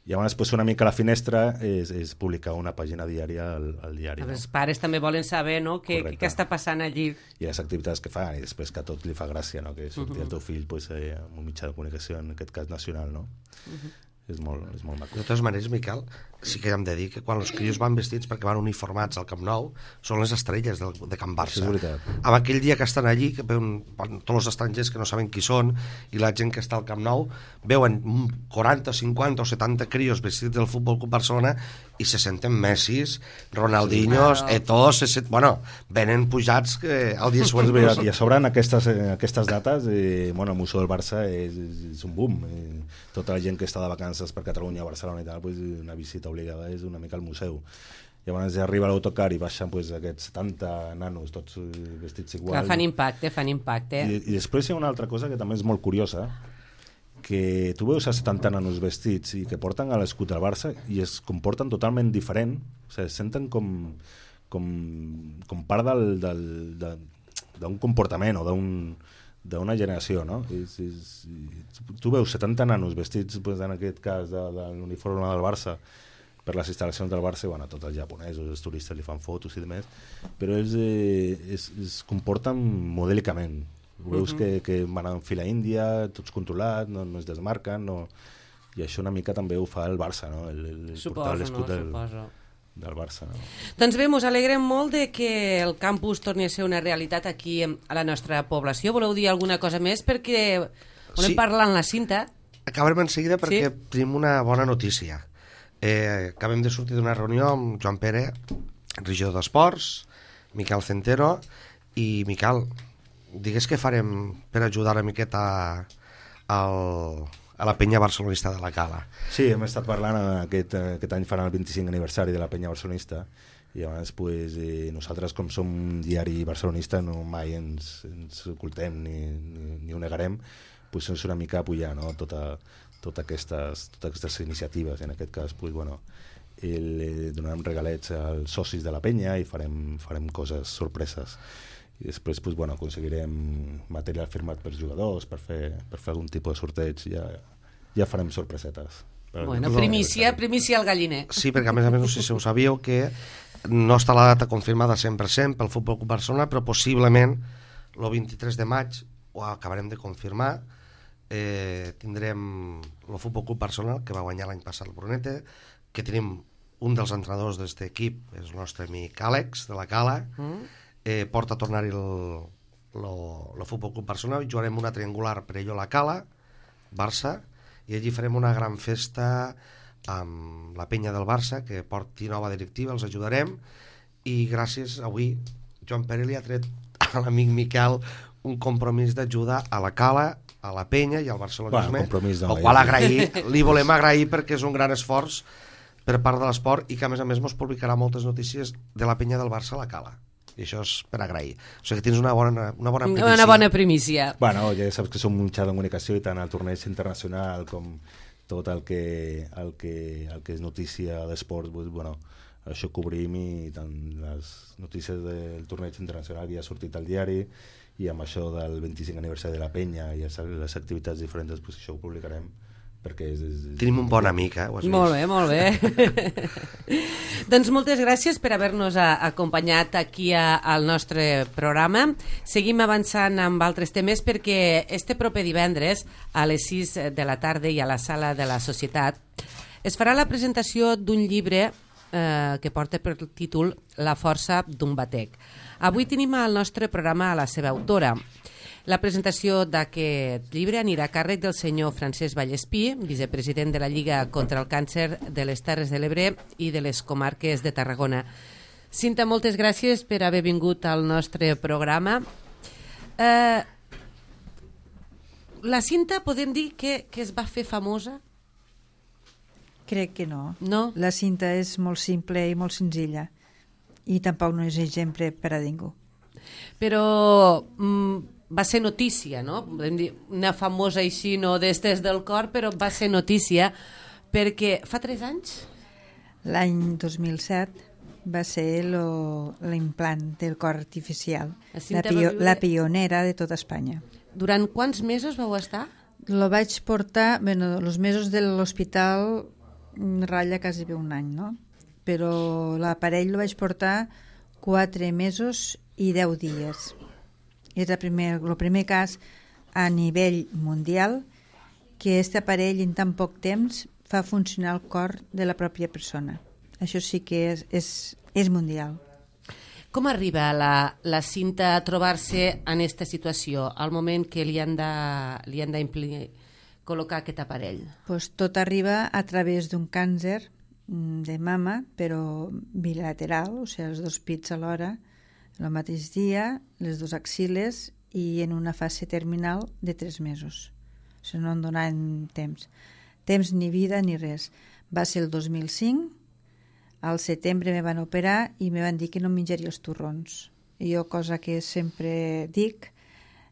Llavors pues, una mica la finestra és, és publicar una pàgina diària al, al diari. No? Els pares també volen saber, no?, què, què està passant allí. I les activitats que fan, i després que a tot li fa gràcia, no?, que surti uh -huh. el teu fill pues, eh, amb un mitjà de comunicació, en aquest cas nacional, no? Uh -huh. És molt, és molt maco. De totes maneres, Miquel, sí que hem de dir que quan els crios van vestits perquè van uniformats al Camp Nou són les estrelles del, de Can Barça. Amb aquell dia que estan allí, que veuen tots els estrangers que no saben qui són i la gent que està al Camp Nou, veuen quaranta, cinquanta o setanta crios vestits del Futbol Club Barcelona i se senten Messis, Ronaldinhos, sí, Eto'o, se sent... bueno, venen pujats que el dia següent... I a sobre en aquestes, en aquestes dates, eh, bueno, el Museu del Barça és, és un boom. Eh, tota la gent que està de vacances per Catalunya, Barcelona i tal, pues, una visita obligada és una mica al museu. Llavors arriba l'autocar i baixen pues, aquests setanta nanos, tots vestits igual. Clar, fan impacte, fan impacte. I, I després hi ha una altra cosa que també és molt curiosa, que tu veus a setanta nanos vestits i que porten a l'escut del Barça i es comporten totalment diferent, o sigui, es senten com, com, com part del, del, de, d'un comportament o d'un d'una generació, no? És, és, tu veus setanta nanos vestits, pues, en aquest cas, de, de l'uniforme del Barça per les instal·lacions del Barça, bueno, tots els japonesos, els turistes li fan fotos i demés, però ells eh, es, es comporten modèlicament. Veus uh -huh. que, que van en fila índia, tots controlats, no, no es desmarquen, no... i això una mica també ho fa el Barça, no? El, el suposo, l'escut no? del, Suposo. del Barça. No? Doncs bé, mos alegrem molt de que el campus torni a ser una realitat aquí a la nostra població. Voleu dir alguna cosa més? Perquè volem sí. parlar en la cinta. Acabarem en seguida perquè sí? tenim una bona notícia. Eh, acabem de sortir d'una reunió amb Joan Pere, regidor d'Esports, Miquel Centero, i Miquel, digues què farem per ajudar una miqueta al... a la penya barcelonista de la Cala. Sí, hem estat parlant, aquest, aquest any faran el vint-i-cinc aniversari de la penya barcelonista, i llavors pues, eh, nosaltres com som un diari barcelonista no mai ens, ens ocultem ni, ni, ni ho negarem, pues, és una mica apoyar, no? tota, tota aquestes, totes aquestes iniciatives. En aquest cas pues, bueno, el, eh, donarem regalets als socis de la penya i farem, farem coses sorpreses. I després pues, bueno, aconseguirem material firmat per jugadors per fer, per fer algun tipus de sorteig. Ja, ja farem sorpresetes. Bueno, primícia, primícia al galliner. Sí, perquè a més a més no sé si ho sabíeu que no està la data confirmada cent per cent pel Futbol Club Barcelona, però possiblement el vint-i-tres de maig ho acabarem de confirmar. Eh, tindrem el Futbol Club Barcelona, que va guanyar l'any passat el Brunete, que tenim un dels entrenadors d'aquest equip, és el nostre amic Àlex de la Cala. Mm. Eh, porta a tornar-hi el, el Futbol Club Barcelona i jugarem una triangular per ell a la Cala, Barça, i allí farem una gran festa amb la penya del Barça, que porti nova directiva, els ajudarem, i gràcies avui Joan Pere li ha tret a l'amic Miquel un compromís d'ajuda a la Cala, a la penya i al barcelonisme, bueno, no, el qual agrair, li volem agrair perquè és un gran esforç per part de l'esport i que a més a més mos publicarà moltes notícies de la penya del Barça a la Cala. I això és per agrair. O sigui que tens una bona, una bona primícia. Una bona primícia. Bueno, ja saps que som un mitjà de comunicació i tant el torneig internacional com tot el que, el que, el que és notícia d'esport, bueno, això cobrim i tant les notícies del torneig internacional ja ha sortit al diari i amb això del vint-i-cinc aniversari de la penya i les activitats diferents, pues això ho publicarem. És, és, és... Tenim un bon amic, eh? Ho has molt vist? bé, molt bé. Doncs moltes gràcies per haver-nos acompanyat aquí a, al nostre programa. Seguim avançant amb altres temes perquè este proper divendres a les sis de la tarda i a la sala de la Societat es farà la presentació d'un llibre eh, que porta per títol La força d'un batec. Avui tenim al nostre programa a la seva autora. La presentació d'aquest llibre anirà a càrrec del senyor Francesc Vallespí, vicepresident de la Lliga contra el Càncer de les Terres de l'Ebre i de les comarques de Tarragona. Cinta, moltes gràcies per haver vingut al nostre programa. Eh, la Cinta podem dir que, que es va fer famosa? Crec que no. No? La Cinta és molt simple i molt senzilla i tampoc no és exemple per a ningú. Però mm, va ser notícia, no? Podem dir una famosa així, no d'estes del cor, però va ser notícia perquè fa tres anys? L'any dos mil set va ser l'implant del cor artificial, la, pio la pionera de tota Espanya. Durant quants mesos vau estar? Lo vaig portar, bueno, els mesos de l'hospital ratlla quasi bé un any, no? Però l'aparell lo vaig portar quatre mesos i deu dies. És el primer, el primer cas a nivell mundial que aquest aparell en tan poc temps fa funcionar el cor de la pròpia persona. Això sí que és, és, és mundial. Com arriba la, la Cinta a trobar-se en aquesta situació, al moment que li han de, li han de col·locar aquest aparell? Pues tot arriba a través d'un càncer de mama, però bilateral, o sigui, els dos pits alhora, el mateix dia, les dues axiles i en una fase terminal de tres mesos. O sigui, no em donaven temps. Temps ni vida ni res. Va ser el dos mil cinc, al setembre me van operar i me van dir que no menjaria els torrons. I jo, cosa que sempre dic,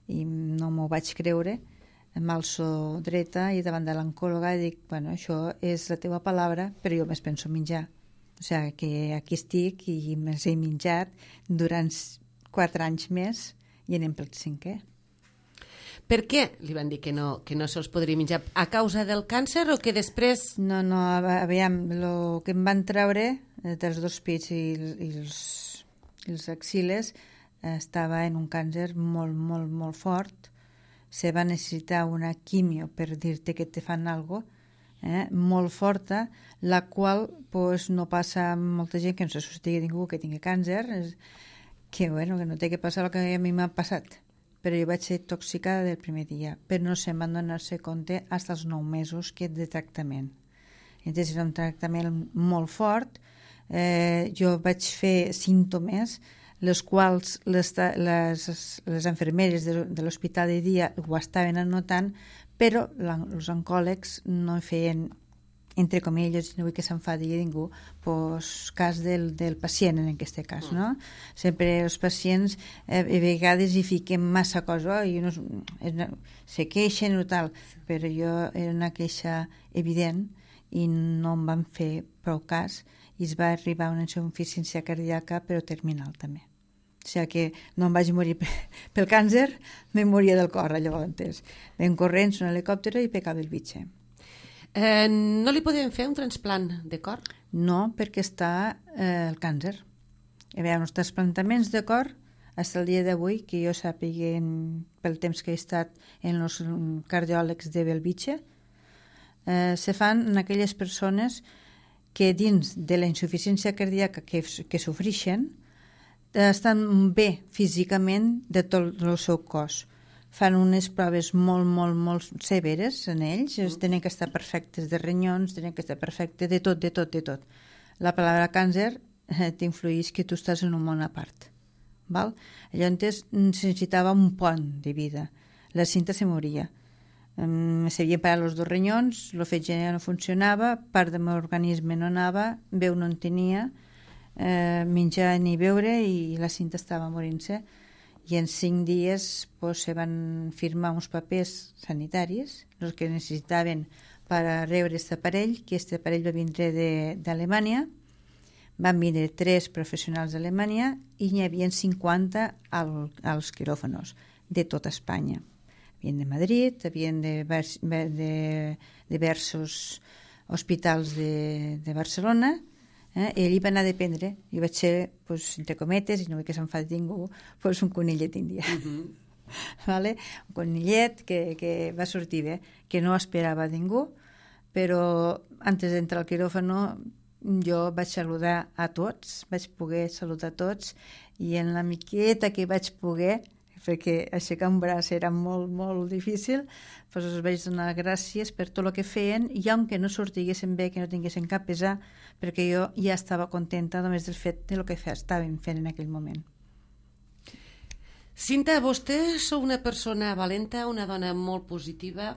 i no m'ho vaig creure, em alço dreta i davant de l'oncòloga i dic, bueno, això és la teva paraula, però jo més penso menjar. O sigui, que aquí estic i més he menjat durant quatre anys més i anem pel cinquè. Per què li van dir que no, que no se'ls podria menjar? A causa del càncer o que després... No, no, aviam, el que em van treure dels dos pits i, i, els, i els axiles estava en un càncer molt, molt, molt fort. Se va necessitar una quimio per dir-te que te fan alguna cosa, eh, molt forta, la qual pues, no passa a molta gent que no se sostigui ningú que tingui càncer, és, que, bueno, que no té que passar el que a mi m'ha passat. Però jo vaig ser tòxica del primer dia, però no se'n van donar-se compte fins als nou mesos que de tractament. Llavors era un tractament molt fort, eh, jo vaig fer símptomes les quals les, les, les enfermeres de, de l'hospital de dia ho estaven anotant, però la, els oncòlegs no feien, entre comilles, no vull que s'enfadi ningú, pues, cas del, del pacient en aquest cas, no? Sempre els pacients eh, a vegades hi fiquen massa cosa i no, se queixen o tal, però jo era una queixa evident i no em van fer prou cas i es va arribar a una insuficiència cardíaca però terminal també. O sigui que no em vaig morir pel càncer, me moria del cor, llavors. Ven corrents un helicòpter i pecava el bitxe. Eh, no li podem fer un transplant de cor? No, perquè està eh, el càncer. Hi ha uns trasplantaments de cor, fins al dia d'avui, que jo sàpiga pel temps que he estat en els cardiòlegs de Belvitge, eh, se fan en aquelles persones que dins de la insuficiència cardíaca que, que sofreixen, estan bé físicament de tot el seu cos. Fan unes proves molt, molt, molt severes en ells, mm. tenen que estar perfectes de renyons, tenen que estar perfectes de tot, de tot, de tot. La paraula càncer eh, t'influeix que tu estàs en un món a part. Val? Llavors necessitava un pont de vida. La Cinta se moria. Um, S'havien parat els dos renyons, el fetge no funcionava, part del meu organisme no anava, veu no en tenia, Eh, menjar ni beure i la Cinta estava morint-se i en cinc dies pues, se van firmar uns papers sanitaris els que necessitaven per a rebre aquest aparell, que aquest aparell va vindre d'Alemanya, van vindre tres professionals d'Alemanya i n'hi havia cinquanta al, als quiròfanos de tota Espanya. Havien de Madrid, havien de, de, de diversos hospitals de, de Barcelona. Eh? I ell hi va anar a dependre. Jo vaig ser, pues, entre cometes, i no vull que s'enfadi ningú, pues, un conillet índia. Uh -huh. Vale? Un conillet que, que va sortir bé, que no esperava ningú, però antes d'entrar al quiròfano jo vaig saludar a tots, vaig poder saludar a tots, i en la miqueta que vaig poder, perquè aixecar un braç era molt, molt difícil, doncs us vaig donar gràcies per tot el que feien, i aunque no sortiguessin bé, que no tinguessin cap pesar, perquè jo ja estava contenta només del fet de lo que estàvem fent en aquell moment. Cinta, vostè sou una persona valenta, una dona molt positiva.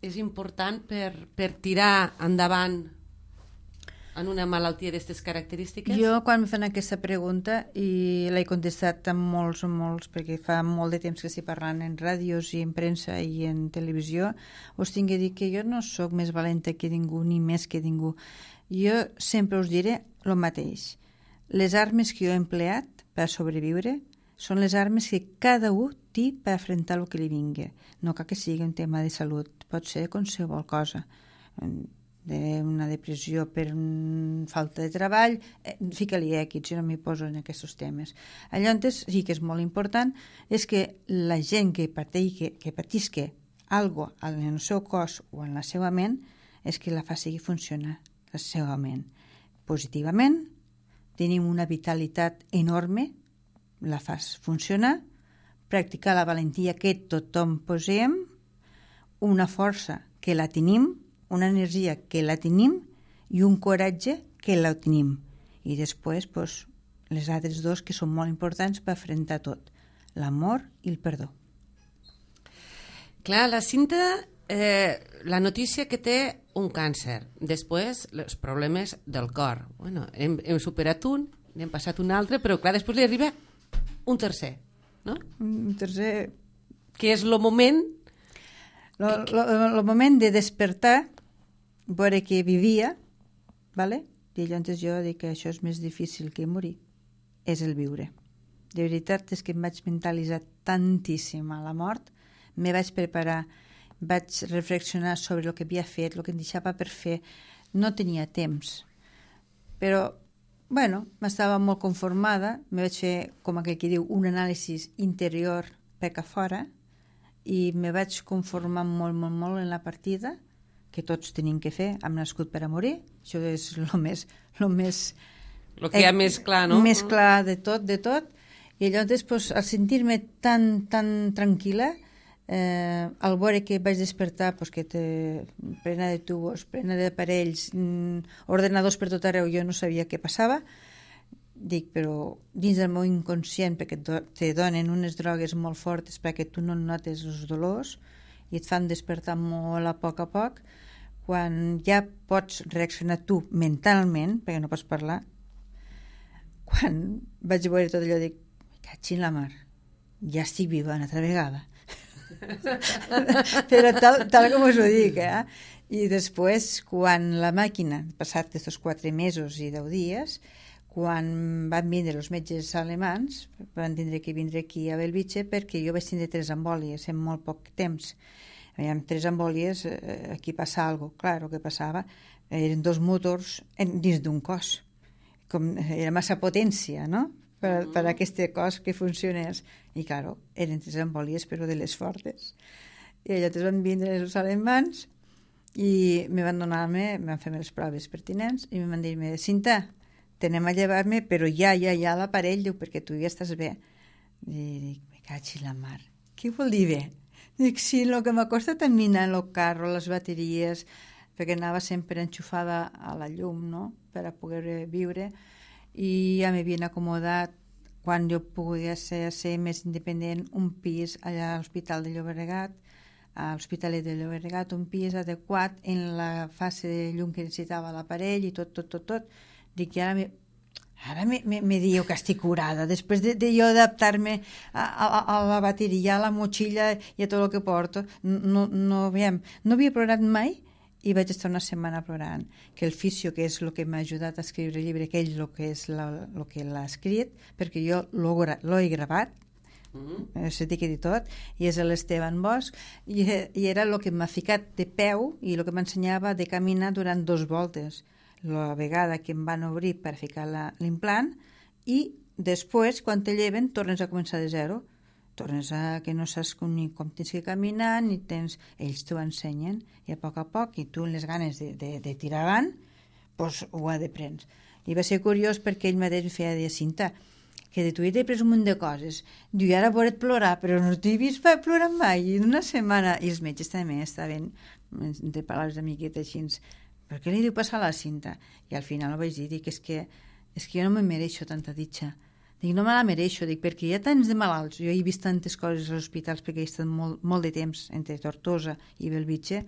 És important per, per tirar endavant en una malaltia d'aquestes característiques? Jo, quan em fan aquesta pregunta, i l'he contestat amb molts o molts, perquè fa molt de temps que estic parlant en ràdios i en premsa i en televisió, us tinc que dir que jo no sóc més valenta que ningú, ni més que ningú. Jo sempre us diré el mateix. Les armes que jo he empleat per sobreviure són les armes que cada un té per afrontar el que li vingui. No cal que sigui un tema de salut, pot ser qualsevol cosa. Una depressió per falta de treball, eh, fica-li èquits, jo no m'hi poso en aquests temes. Llavors, sí que és molt important, és que la gent que pateixi, que patisca algo en el seu cos o en la seva ment, és que la faci funcionar la seva ment. Positivament, tenim una vitalitat enorme, la fas funcionar, practicar la valentia que tothom posem, una força que la tenim, una energia que la tenim i un coratge que la tenim. I després, doncs, les altres dos que són molt importants per afrontar tot, l'amor i el perdó. Clar, la Cinta, eh, la notícia que té un càncer, després els problemes del cor. Bueno, hem, hem superat un, n'hem passat un altre, però clar, després li arriba un tercer, no? Un tercer... Que és el moment... El moment de despertar, veure que vivia, ¿vale? I llavors jo dic que això és més difícil que morir, és el viure. De veritat és que em vaig mentalitzar tantíssim a la mort, me vaig preparar, vaig reflexionar sobre el que havia fet, el que em deixava per fer, no tenia temps. Però, bueno, m'estava molt conformada, me vaig fer, com aquell que diu, un anàlisi interior per que fora, i me vaig conformar molt, molt, molt en la partida, que tots tenim que fer, hem nascut per a morir, això és el més... El més el que hi ha eh, més clar, no? Més clar de tot, de tot, i llavors, després, al sentir-me tan, tan tranquil·la, eh, al veure que vaig despertar, pues, que té plena de tubos, plena d'aparells, mm, ordenadors per tot arreu, jo no sabia què passava, dic, però dins del meu inconscient, perquè te donen unes drogues molt fortes perquè tu no notes els dolors i et fan despertar molt a poc a poc, quan ja pots reaccionar tu mentalment, perquè no pots parlar, quan vaig veure tot allò, dic, me caig en la mar, ja estic viva una altra vegada. Però tal, tal com us ho dic, eh? I després, quan la màquina, passat aquests quatre mesos i deu dies, quan van vindre els metges alemans, van tindre que vindre aquí a Bellvitge perquè jo vaig tindre tres embòlies en molt poc temps. Amb tres embòlies, eh, aquí passa alguna cosa. Clar, el que passava eren dos motors en, dins d'un cos. Com, era massa potència, no?, per, per aquest cos que funcionés. I, clar, eren tres embòlies, però de les fortes. I llavors van vindre els alemans i me van donar-me, me van fer les proves pertinents i me van dir-me, Cinta, tenem a llevar-me, però ja, ja, ja l'aparell, diu, perquè tu ja estàs bé. I dic, me caig en la mar. Què vol dir bé? Dic, sí, el que m'ha costat minar el carro, les bateries, perquè anava sempre enxufada a la llum, no?, per a poder viure, i ja m'havien acomodat, quan jo podia ser, ser més independent, un pis allà a l'Hospital de Llobregat, a l'Hospitalet de Llobregat, un pis adequat en la fase de llum que necessitava l'aparell i tot, tot, tot, tot. Dic, i ara me, ara me, me, me diu que estic curada, després de, de jo adaptar-me a, a, a la bateria, a la motxilla i a tot el que porto. No, no, aviam, no havia plorat mai i vaig estar una setmana plorant. Que el fisio, que és el que m'ha ajudat a escriure el llibre, que ell el que és la, el que l'ha escrit, perquè jo l'he gravat, mm-hmm. s'ha dit que dir tot, i és l'Esteban Bosch, i, i era el que m'ha ficat de peu i el que m'ensenyava de caminar durant dos voltes. La vegada que em van obrir per ficar l'implant i després, quan te lleven, tornes a començar de zero. Tornes a que no saps com, ni com tens que caminar, ni tens... Ells t'ho ensenyen, i a poc a poc, i tu amb les ganes de, de, de tirar avant, pues ho ha de prendre. I va ser curiós perquè ell mateix em feia dir, Cinta, que de tu he pres un munt de coses. Diu, i ara veure't plorar, però no t'he vist plorar mai. I en una setmana, i els metges també estaven de paraules d'amigueta així, per què li diu passar a la Cinta? I al final ho vaig dir, dic, és que, és que jo no me mereixo tanta ditxa. Dic, no me la mereixo, dic, perquè hi ha tants de malalts. Jo he vist tantes coses als hospitals perquè he estat molt, molt de temps entre Tortosa i Bellvitge.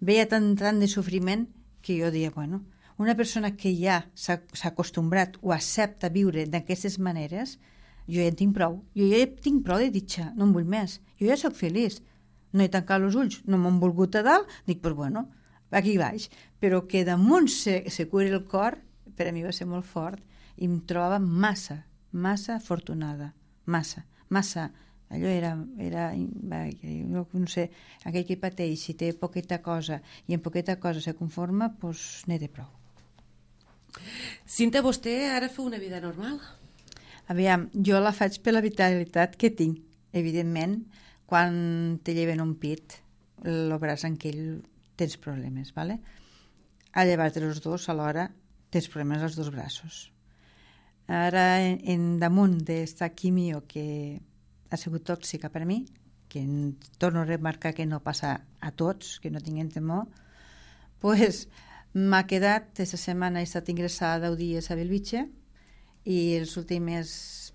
Veia tant, tant de sofriment que jo deia, bueno, una persona que ja s'ha acostumbrat o accepta viure d'aquestes maneres, jo ja en tinc prou. Jo ja tinc prou de ditxa, no en vull més. Jo ja sóc feliç. No he tancat els ulls, no m'han volgut a dalt, dic, pues bueno, aquí baix. Però que damunt se, se curi el cor, per a mi va ser molt fort, i em trobava massa, massa afortunada, massa, massa. Allò era, era jo no sé, aquell que pateix, si té poqueta cosa i en poqueta cosa se conforma, doncs n'he de prou. Cinta, vostè ara fa una vida normal? Aviam, jo la faig per la vitalitat que tinc. Evidentment, quan te lleven un pit, el braç en aquell tens problemes, ¿vale? A llevar-te els dos alhora tens problemes als dos braços. Ara, en, en damunt d'esta quimio que ha sigut tòxica per a mi, que torno a remarcar que no passa a tots, que no tinguem temor, pues, m'ha quedat, aquesta setmana he estat ingressada deu dies a Bellvitge i les últimes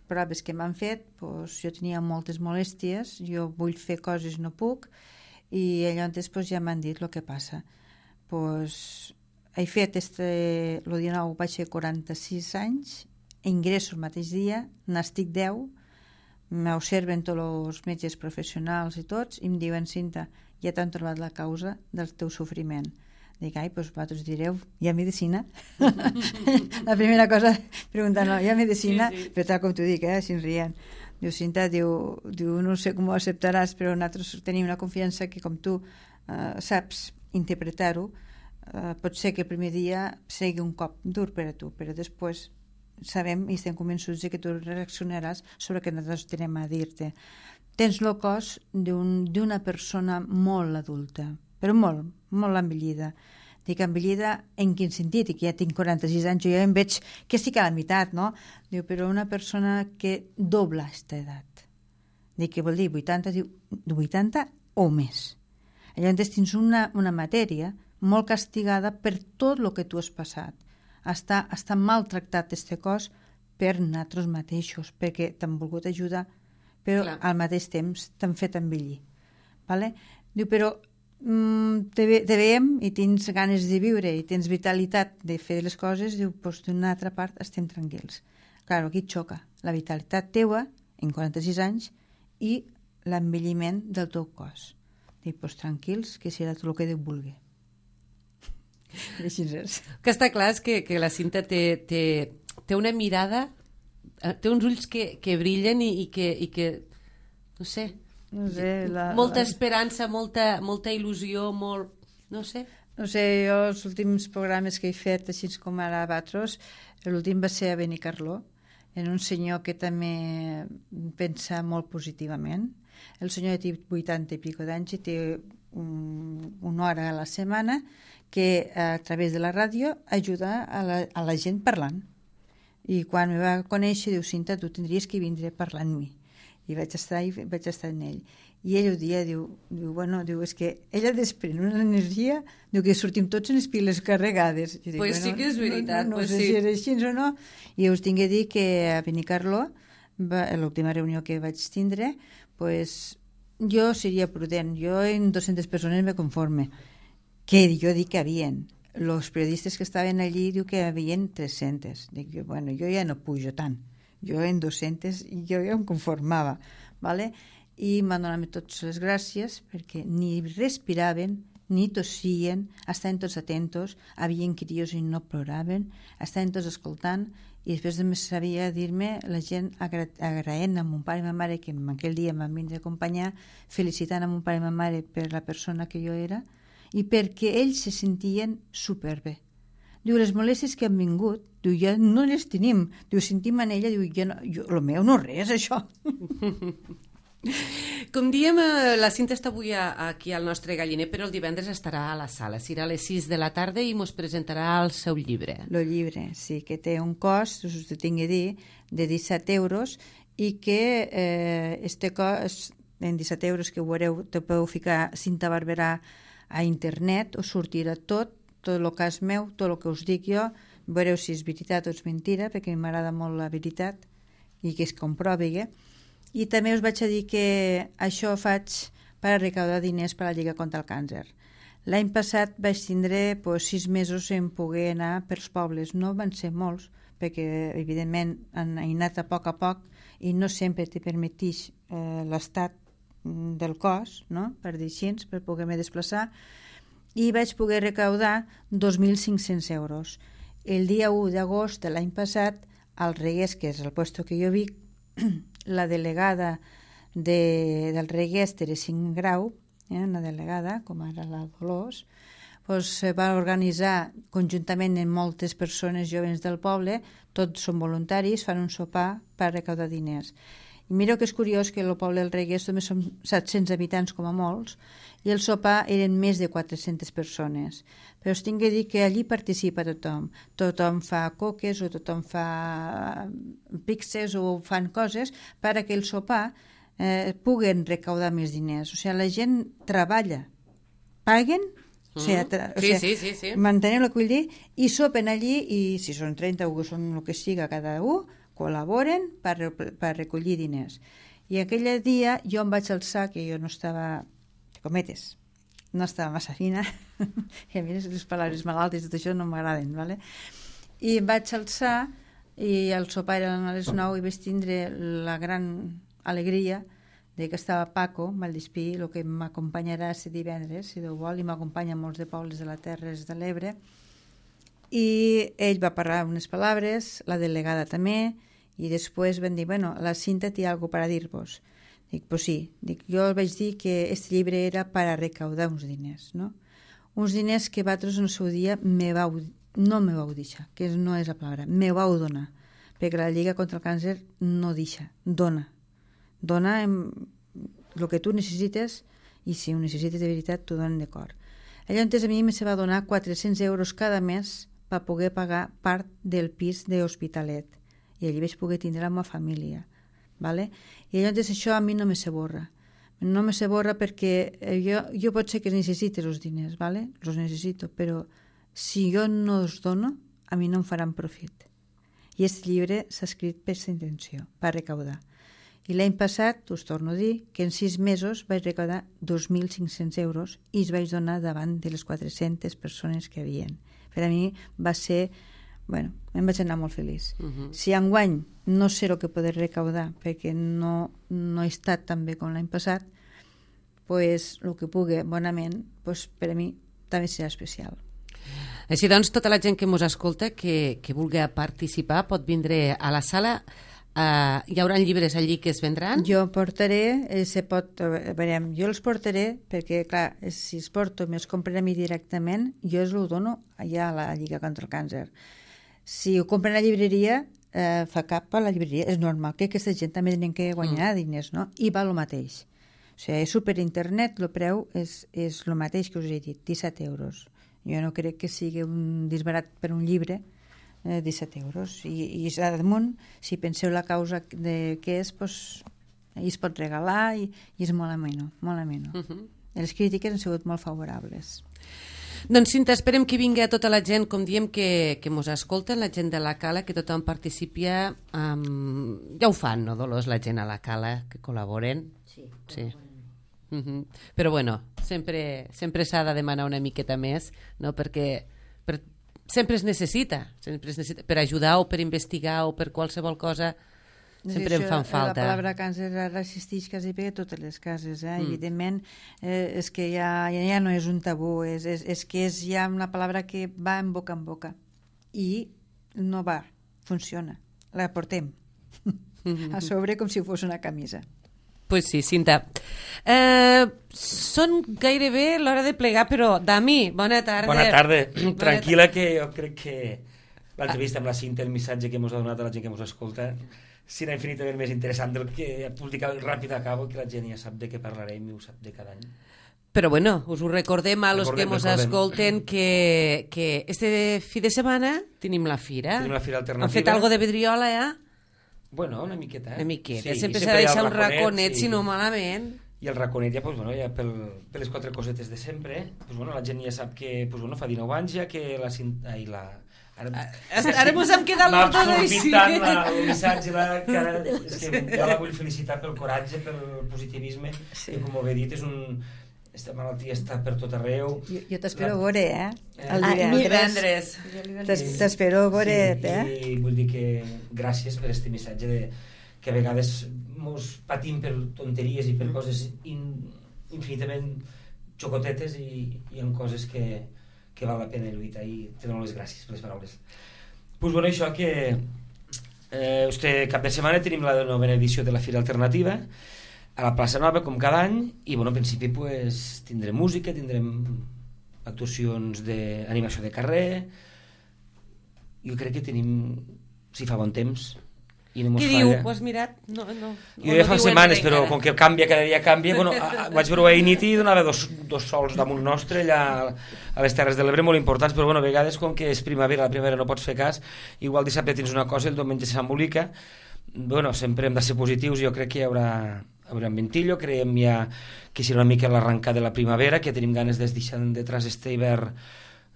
proves que m'han fet, pues, jo tenia moltes molèsties, jo vull fer coses, no puc, i llavors pues, ja m'han dit el que passa. Pues, he fet este, el dinou vaig fer quaranta-sis anys, ingresso el mateix dia, n'estic deu, m'observen tots els metges professionals i tots, i em diuen, Cinta, ja t'han trobat la causa del teu sofriment. Dic, ai, doncs vosaltres direu, hi ha medicina? La primera cosa, preguntant, hi ha medicina? Sí, sí. Però tal com t'ho dic, eh, així rient. Diu, Cinta, diu, diu, no sé com ho acceptaràs, però nosaltres tenim una confiança que com tu eh, saps interpretar-ho, eh, pot ser que el primer dia sigui un cop dur per a tu, però després sabem i estem convençuts que tu reaccionaràs sobre el que nosaltres tenim a dir-te. Tens el cos d'una persona molt adulta, però molt, molt envellida. Dic envellida en quin sentit? I que ja tinc quaranta-sis anys, jo ja em veig que estic a la meitat, no? Diu, però una persona que dobla aquesta edat. Dic, què vol dir? vuitanta? Diu, vuitanta o més. Llavors tens una, una matèria molt castigada per tot el que tu has passat. Està, està maltractat este cos per nosaltres mateixos, perquè t'han volgut ajudar, però Clar. Al mateix temps t'han fet envellir. Vale? Diu, però mm, te, ve, te veiem i tens ganes de viure i tens vitalitat de fer les coses, diu, doncs d'una altra part estem tranquils. Clar, aquí et xoca la vitalitat teua en quaranta-sis anys i l'envelliment del teu cos. Diu, doncs tranquils, que serà tot el que Déu vulgui. Que està clar és que, que la Cinta té, té, té una mirada, té uns ulls que, que brillen i, i, que, i que, no sé, no sé la, molta la... esperança, molta, molta il·lusió, molt, no sé. No sé, jo els últims programes que he fet, així com ara a Batros, l'últim va ser a Benicarló, en un senyor que també pensa molt positivament. El senyor té vuitanta i pico d'anys i té un, una hora a la setmana que a través de la ràdio ajuda a la, a la gent parlant. I quan me va conèixer, diu, Cinta, tu tindries que vindre a parlar amb mi. I vaig estar, i vaig estar en ell. I ell ho dia, diu, diu, bueno, diu, és que ella desprèn una energia, diu que sortim tots en les piles carregades. Doncs pues bueno, sí que és veritat. No, no, no pues sé sí. si és així o no. I us tinc a dir que a Benicarló, l'última reunió que vaig tindre, pues, jo seria prudent. Jo en dues-centes persones me conforme. Que jo dic que havien. Els periodistes que estaven allí diu que havien tres-centes. Dic, bueno, jo ja no pujo tant. Jo en dues-centes jo ja em conformava. ¿Vale? I m'han donat totes les gràcies perquè ni respiraven, ni tossien, estaven tots atentos, havien crios i no ploraven, estaven tots escoltant i després de més sabia dir-me la gent agra agraent a mon pare i ma mare que en aquell dia m'han vingut a acompanyar, felicitant a mon pare i ma mare per la persona que jo era i perquè ells se sentien superbé. Diu, les molèsties que han vingut, diu, ja no les tenim. Diu, sentim en ella, diu, ja no, jo, lo meu no res, això. Com diem, la Cinta està avui aquí al nostre galliner, però el divendres estarà a la sala. Serà a les sis de la tarda i mos presentarà el seu llibre. El llibre, sí, que té un cost, us ho tinc a dir, de disset euros i que eh, este cost, en disset euros que ho veureu, te podeu ficar Cinta Barberà a internet, us sortirà tot, tot el cas meu, tot el que us dic jo, veureu si és veritat o és mentira, perquè m'agrada molt la veritat i que es comprovi. Eh? I també us vaig a dir que això ho faig per a recaudar diners per a la Lliga contra el Càncer. L'any passat vaig tindre pues, sis mesos en poder anar pels pobles. No van ser molts, perquè evidentment han anat a poc a poc i no sempre te permetix eh, l'estat del cos, no? Per dir així, per poder-me desplaçar, i vaig poder recaudar dos mil cinc-cents euros. El dia u d'agost de l'any passat, al Reguers, que és el puesto que jo vic, la delegada de, del Reguers, Teresín Grau, eh, una delegada, com ara la Dolors, pues, va organitzar conjuntament amb moltes persones joves del poble, tots són voluntaris, fan un sopar per recaudar diners. I mireu que és curiós que el poble del Reguers només són set-cents habitants com a molts i el sopar eren més de quatre-centes persones. Però us tinc que dir que allí participa tothom. Tothom fa coques o tothom fa pixes o fan coses per a que el sopar eh, puguen recaudar més diners. O sigui, la gent treballa, paguen, o sigui, tra o sigui, sí, sí, sí, sí. manteneu el que vull dir, i sopen allí i si són trenta o són el que siga cada un, col·laboren per, per recollir diners. I aquell dia jo em vaig alçar, que jo no estava, cometes, no estava massa fina, i a mi les paraules malaltes i tot això no m'agraden, ¿vale? I em vaig alçar, i el sopar era a les nou i vaig tindre la gran alegria de que estava Paco, Valldispí, el que m'acompanyarà aquest divendres, si Déu vol, i m'acompanya molts de pobles de la Terres de l'Ebre, i ell va parlar unes paraules, la delegada també, i després van dir, bueno, la Cinta té alguna per a dir-vos. Dic, pues sí. Dic, jo vaig dir que aquest llibre era per a recaudar uns diners, no? Uns diners que vosaltres en el seu dia me vau, no me vau deixar, que no és la paraula, me vau donar, perquè la Lliga contra el Càncer no deixa, dona. Dona el que tu necessites i si ho necessites de veritat t'ho donen de cor. Llavors a mi me se va donar quatre-cents euros cada mes per poder pagar part del pis de Hospitalet i allí vaig poder tindre la meva família, ¿vale? I llavors això a mi no me se borra no me se borra perquè jo, jo pot ser que necessite els diners, ¿vale? Els necessito, però si jo no els dono a mi no em faran profit i aquest llibre s'ha escrit per aquesta intenció, per recaudar. I l'any passat, us torno a dir, que en sis mesos vaig recaudar dos mil cinc-cents euros i els vaig donar davant de les quatre-centes persones que havien. Per a mi va ser, bueno, em vaig anar molt feliç. Uh -huh. Si enguany no sé el que podré recaudar perquè no, no he estat tan bé com l'any passat, pues, el que pugui bonament, pues, per a mi també serà especial. Així doncs, tota la gent que ens escolta, que, que vulgui participar, pot vindre a la sala. Uh, hi haurà llibres allí que es vendran? Jo portaré, eh, se pot, a veure, jo els portaré perquè, clar, si els porto i me'ls compren a mi directament, jo els ho dono allà a la Lliga contra el Càncer. Si ho compren a la llibreria, eh, fa cap a la llibreria. És normal que aquesta gent també tenen que guanyar mm. diners, no? I val el mateix. O sigui, és super internet, el preu és, és el mateix que us he dit, disset euros. Jo no crec que sigui un disbarat per un llibre, eh, disset euros. I, i a damunt, si penseu la causa de què és, doncs, es pot regalar i, i és molt ameno, molt ameno. Uh -huh. Les crítiques han sigut molt favorables. Doncs, Cinta, esperem que vingui a tota la gent, com diem, que, que mos escolten, la gent de la Cala, que tothom participi. Um, ja ho fan, no, Dolors, la gent a la Cala, que col·laboren? Sí, sí. Uh -huh. Però, bueno, sempre, sempre s'ha de demanar una miqueta més, no?, perquè per, sempre es necessita, sempre es necessita, per ajudar o per investigar o per qualsevol cosa, sempre sí, en fan falta. La paraula càncer ara existeix quasi bé a totes les cases, eh? Mm. Evidentment, eh, és que ja, ja no és un tabú, és, és, és que és ja una paraula que va en boca en boca i no va, funciona, la portem a sobre com si fos una camisa. Pues sí, Cinta. Eh, són gairebé l'hora de plegar, però, Dami, bona tarda. Bona tarda. Tranquil·la, que jo crec que l'entrevista amb la Cinta, el missatge que ens ha donat a la gent que ens escolta, serà infinitament més interessant del que publicar ràpid acabo, que la gent ja sap de què parlarem i ho sap de cada any. Però bueno, us ho recordem a los Recordem, que ens recordem. escolten que, que este fi de setmana tenim la fira. Tenim la fira alternativa. Han fet algo de vidriola, ja? Bueno, una miqueta. Una miqueta. Sí, sempre i s'ha de hi ha deixar el un raconet, sí. si no malament. I el raconet ja, pues, bueno, ja pel, per les quatre cosetes de sempre, pues, bueno, la gent ja sap que pues, bueno, fa dinou anys ja que la... Ai, la ara, Ara mos hem quedat m'ha molt així. absorbit tant la, el missatge, la, que ara, és que jo la vull felicitar pel coratge, pel positivisme, sí. Que com ho he dit, és un... Esta malaltia està per tot arreu. Jo, jo t'espero a veure, eh? El Ah, divendres. divendres. T'espero a veure, sí, eh? I vull dir que gràcies per este missatge de, que a vegades mos patim per tonteries i per coses in, infinitament xocotetes i, i en coses que, que val la pena lluitar, i te dono les gràcies per les paraules. Pues bueno, això que eh, este cap de setmana tenim la novena edició de la Fira Alternativa a la plaça Nova, com cada any, i bueno, en principi pues, tindrem música, tindrem actuacions d'animació de carrer. Jo crec que tenim, si fa bon temps, i no mos Qui falla. diu? Ho has mirat? No, no. Jo ja fa setmanes, però com que canvia, cada dia canvia, bueno, a, a, vaig veure a Initi i donava dos, dos sols damunt nostre allà a les Terres de l'Ebre molt importants, però bueno, a vegades com que és primavera, la primavera no pots fer cas, igual dissabte tens una cosa, el diumenge s'embolica. Bueno, sempre hem de ser positius, jo crec que hi haurà, haurà un ventillo, creiem ja que serà una mica l'arrencar de la primavera, que tenim ganes de deixar detrás este hivern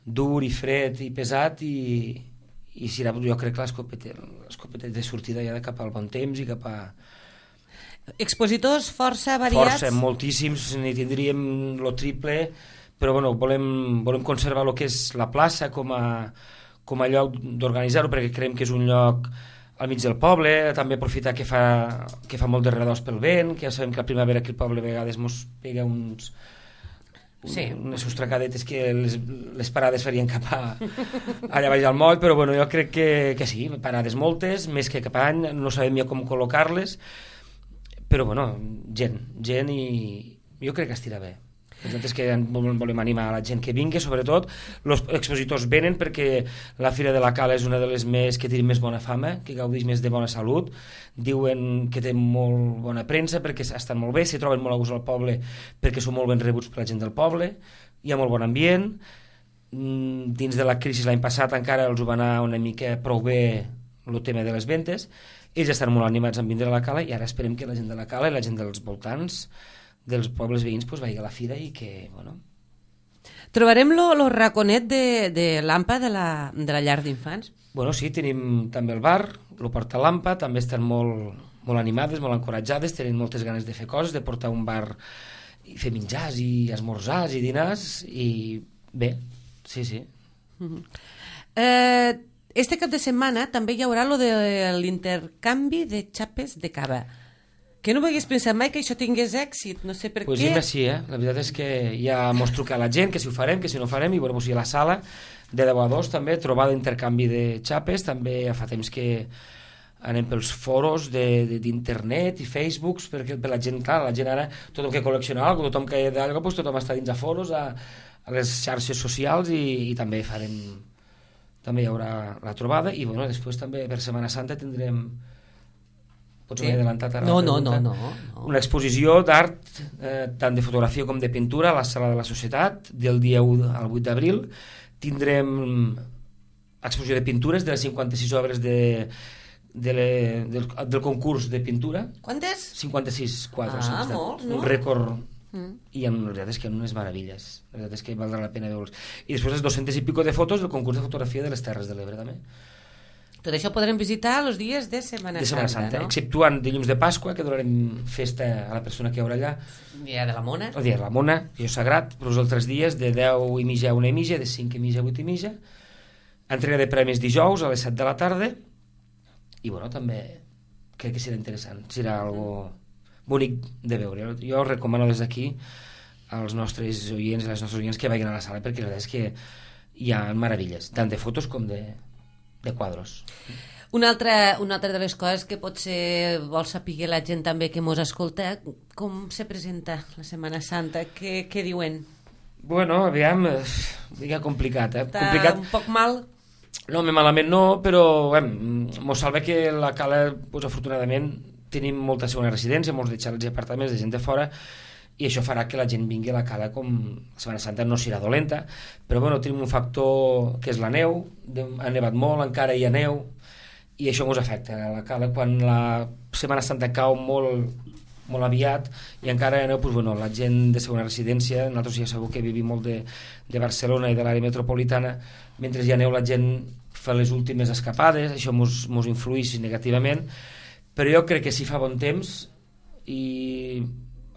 dur i fred i pesat, i, i serà, jo crec que l'escopeta l'escopeta de sortida ja de cap al bon temps i cap a... Expositors força variats. Força, moltíssims, n'hi tindríem lo triple, però bueno, volem, volem conservar el que és la plaça com a, com a lloc d'organitzar-ho, perquè creiem que és un lloc al mig del poble, també aprofitar que fa, que fa molt de redós pel vent, que ja sabem que a primavera aquí al poble a vegades mos pega uns, sí. unes sostracadetes que les, les parades farien cap a, allà baix al moll, però bueno, jo crec que, que sí, parades moltes, més que cap any, no sabem ja com col·locar-les, però bueno, gent, gent, i jo crec que estirà bé. Nosaltres que volem animar a la gent que vingui, sobretot els expositors venen perquè la Fira de la Cala és una de les més que té més bona fama, que gaudeix més de bona salut, diuen que té molt bona premsa perquè estan molt bé, s'hi troben molt a gust al poble perquè són molt ben rebuts per la gent del poble, hi ha molt bon ambient. Dins de la crisi l'any passat encara els ho va anar una mica prou bé el tema de les ventes, ells estan molt animats en vindre a la Cala, i ara esperem que la gent de la Cala i la gent dels voltants dels pobles veïns pues, vagi a la fira i que, bueno... Trobarem lo, lo raconet de, de l'Ampa de la, de la llar d'infants? Bueno, sí, tenim també el bar, lo porta l'Ampa, també estan molt, molt animades, molt encoratjades, tenen moltes ganes de fer coses, de portar un bar i fer menjars i esmorzars i dinars, i bé, sí, sí. Uh-huh. Eh, este cap de setmana també hi haurà lo de l'intercanvi de xapes de cava. Que no m'hagués pensat mai que això tingués èxit, no sé per pues què. Pues sí, eh? La veritat és que ja mos truca la gent, que si ho farem, que si no ho farem, i bueno, pues, a la sala de deu a dos també, trobada d'intercanvi de xapes, també ja fa temps que anem pels foros d'internet i Facebooks, perquè per la gent, clar, la gent ara, tothom que col·lecciona alguna cosa, tothom que d'alguna pues, tothom està dins a foros, a, a les xarxes socials, i, i també farem, també hi haurà la trobada, i bueno, després també per Setmana Santa tindrem... Pots sí. haver adelantat ara no, la no, pregunta? no, no, no. Una exposició d'art, eh, tant de fotografia com de pintura, a la Sala de la Societat, del dia u al vuit d'abril. Tindrem exposició de pintures de les cinquanta-sis obres de, de le, del, del concurs de pintura. Quantes? cinquanta-sis quadres. Ah, molts, no? Un rècord. Mm. I en veritat és que hi ha unes meravelles. La veritat és que valdrà la pena veure'ls. I després les dos-centes i pico de fotos del concurs de fotografia de les Terres de l'Ebre, també. Tot això podrem visitar els dies de Setmana, de Setmana Santa, Santa, no? exceptuant dilluns de Pasqua, que donarem festa a la persona que hi haurà allà. El dia de la Mona. El dia de la Mona, que és sagrat, però els altres dies de deu i mitja a una i mitja, de cinc i mitja a vuit i mitja. Entrega de premis dijous a les set de la tarda. I bueno, també crec que serà interessant, serà algo bonic de veure. Jo recomano des d'aquí als nostres oients i les nostres oients que vagin a la sala, perquè la veritat és que hi ha meravelles, tant de fotos com de de quadros. Una altra, una altra de les coses que potser vol saber la gent també que mos escolta, com se presenta la Setmana Santa? Què, què diuen? Bueno, aviam, eh, diga complicat, eh? Està complicat. un poc mal? No, més malament no, però mos salva que la cala, pues, afortunadament, tenim molta segona residència, molts de xalets i apartaments de gent de fora, i això farà que la gent vingui a la cala com la Setmana Santa no serà dolenta, però bueno, tenim un factor que és la neu, ha nevat molt, encara hi ha neu, i això ens afecta a la cala. Quan la Setmana Santa cau molt, molt aviat i encara hi ha neu, doncs, bueno, la gent de segona residència, nosaltres ja sabeu que vivim molt de, de Barcelona i de l'àrea metropolitana, mentre hi ha neu la gent fa les últimes escapades, això mos, mos influeix negativament, però jo crec que si fa bon temps i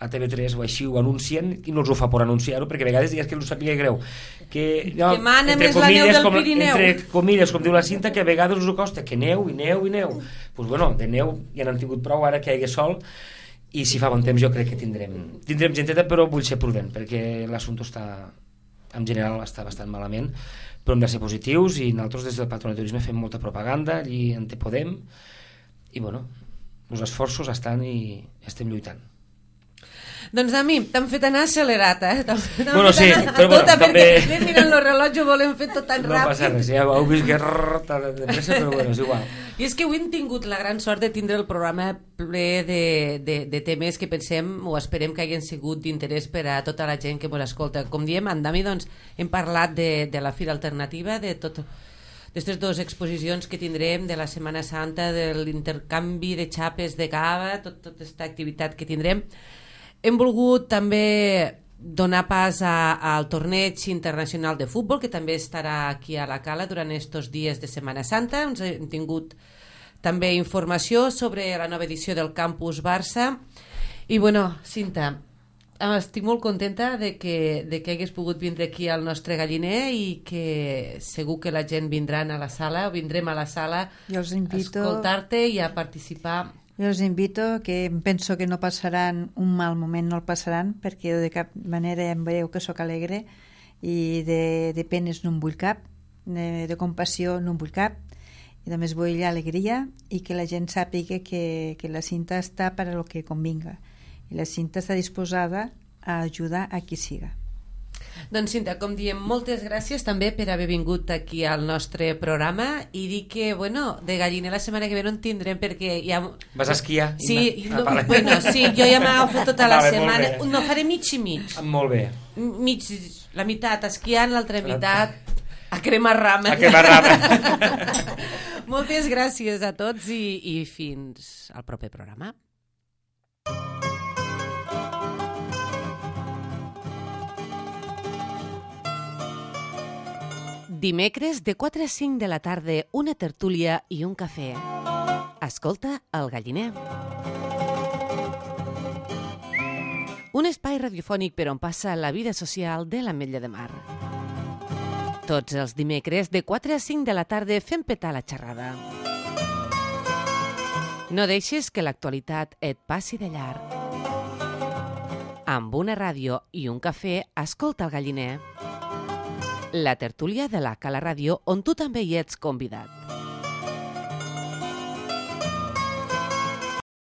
a T V tres o així ho anuncien, i no els ho fa per anunciar-ho, perquè a vegades digues que no sàpiga greu que, no, que mana més la neu del com, Pirineu, entre comilles, com diu la Cinta, que a vegades us ho costa, que neu i neu i neu, pues bueno, de neu ja n'han tingut prou ara que hi hagi sol, i si fa bon temps jo crec que tindrem tindrem genteta, però vull ser prudent perquè l'assumpte està, en general està bastant malament, però hem de ser positius, i nosaltres des del Patronat de Turisme fem molta propaganda allí on te podem, i bueno, els esforços estan i estem lluitant. Doncs a mi t'han fet anar accelerat, eh? Bueno, sí, però bueno, tota, també... perquè anem mirant el rellotge, ho volem fer tot tan no ràpid. No passa res, ja heu vist que rrr, de pressa, però bueno, és igual. I és que avui hem tingut la gran sort de tindre el programa ple de, de, de temes que pensem o esperem que hagin sigut d'interès per a tota la gent que ens escolta. Com diem, amb Dami doncs, hem parlat de, de la Fira Alternativa, de tot d'aquestes dues exposicions que tindrem, de la Setmana Santa, de l'intercanvi de xapes de cava, tot, tota aquesta activitat que tindrem. Hem volgut també donar pas a, al torneig internacional de futbol, que també estarà aquí a la Cala durant aquests dies de Setmana Santa. Ens hem tingut també informació sobre la nova edició del Campus Barça. I bueno, Cinta, estic molt contenta de que, de que hagués pogut vindre aquí al nostre galliner, i que segur que la gent vindran a la sala, o vindrem a la sala Jo els invito... a escoltar-te i a participar. Jo els invito, que penso que no passaran un mal moment, no el passaran, perquè jo de cap manera em veieu que sóc alegre, i de, de penes no en vull cap, de, de compassió no en vull cap, i només vull alegria, i que la gent sàpiga que, que la Cinta està per a lo que convinga, i la Cinta està disposada a ajudar a qui siga. Doncs Cinta, com diem, moltes gràcies també per haver vingut aquí al nostre programa, i dir que, bueno, de galliner la setmana que ve no en tindrem perquè ja... Vas a esquiar? Sí, ah, no, bueno, sí, jo ja m'agafo tota la vale, setmana. No, faré mig i mig. Molt bé. Mig, la meitat esquiant, l'altra meitat a cremar rames. A cremar rames. Moltes gràcies a tots i, i fins al proper programa. Dimecres de quatre a cinc de la tarda, una tertúlia i un cafè. Escolta El Galliner. Un espai radiofònic per on passa la vida social de l'Ametlla de Mar. Tots els dimecres de quatre a cinc de la tarda fem petar la xerrada. No deixis que l'actualitat et passi de llarg. Amb una ràdio i un cafè, escolta El Galliner. La tertúlia de la Cala Ràdio, on tu també hi ets convidat.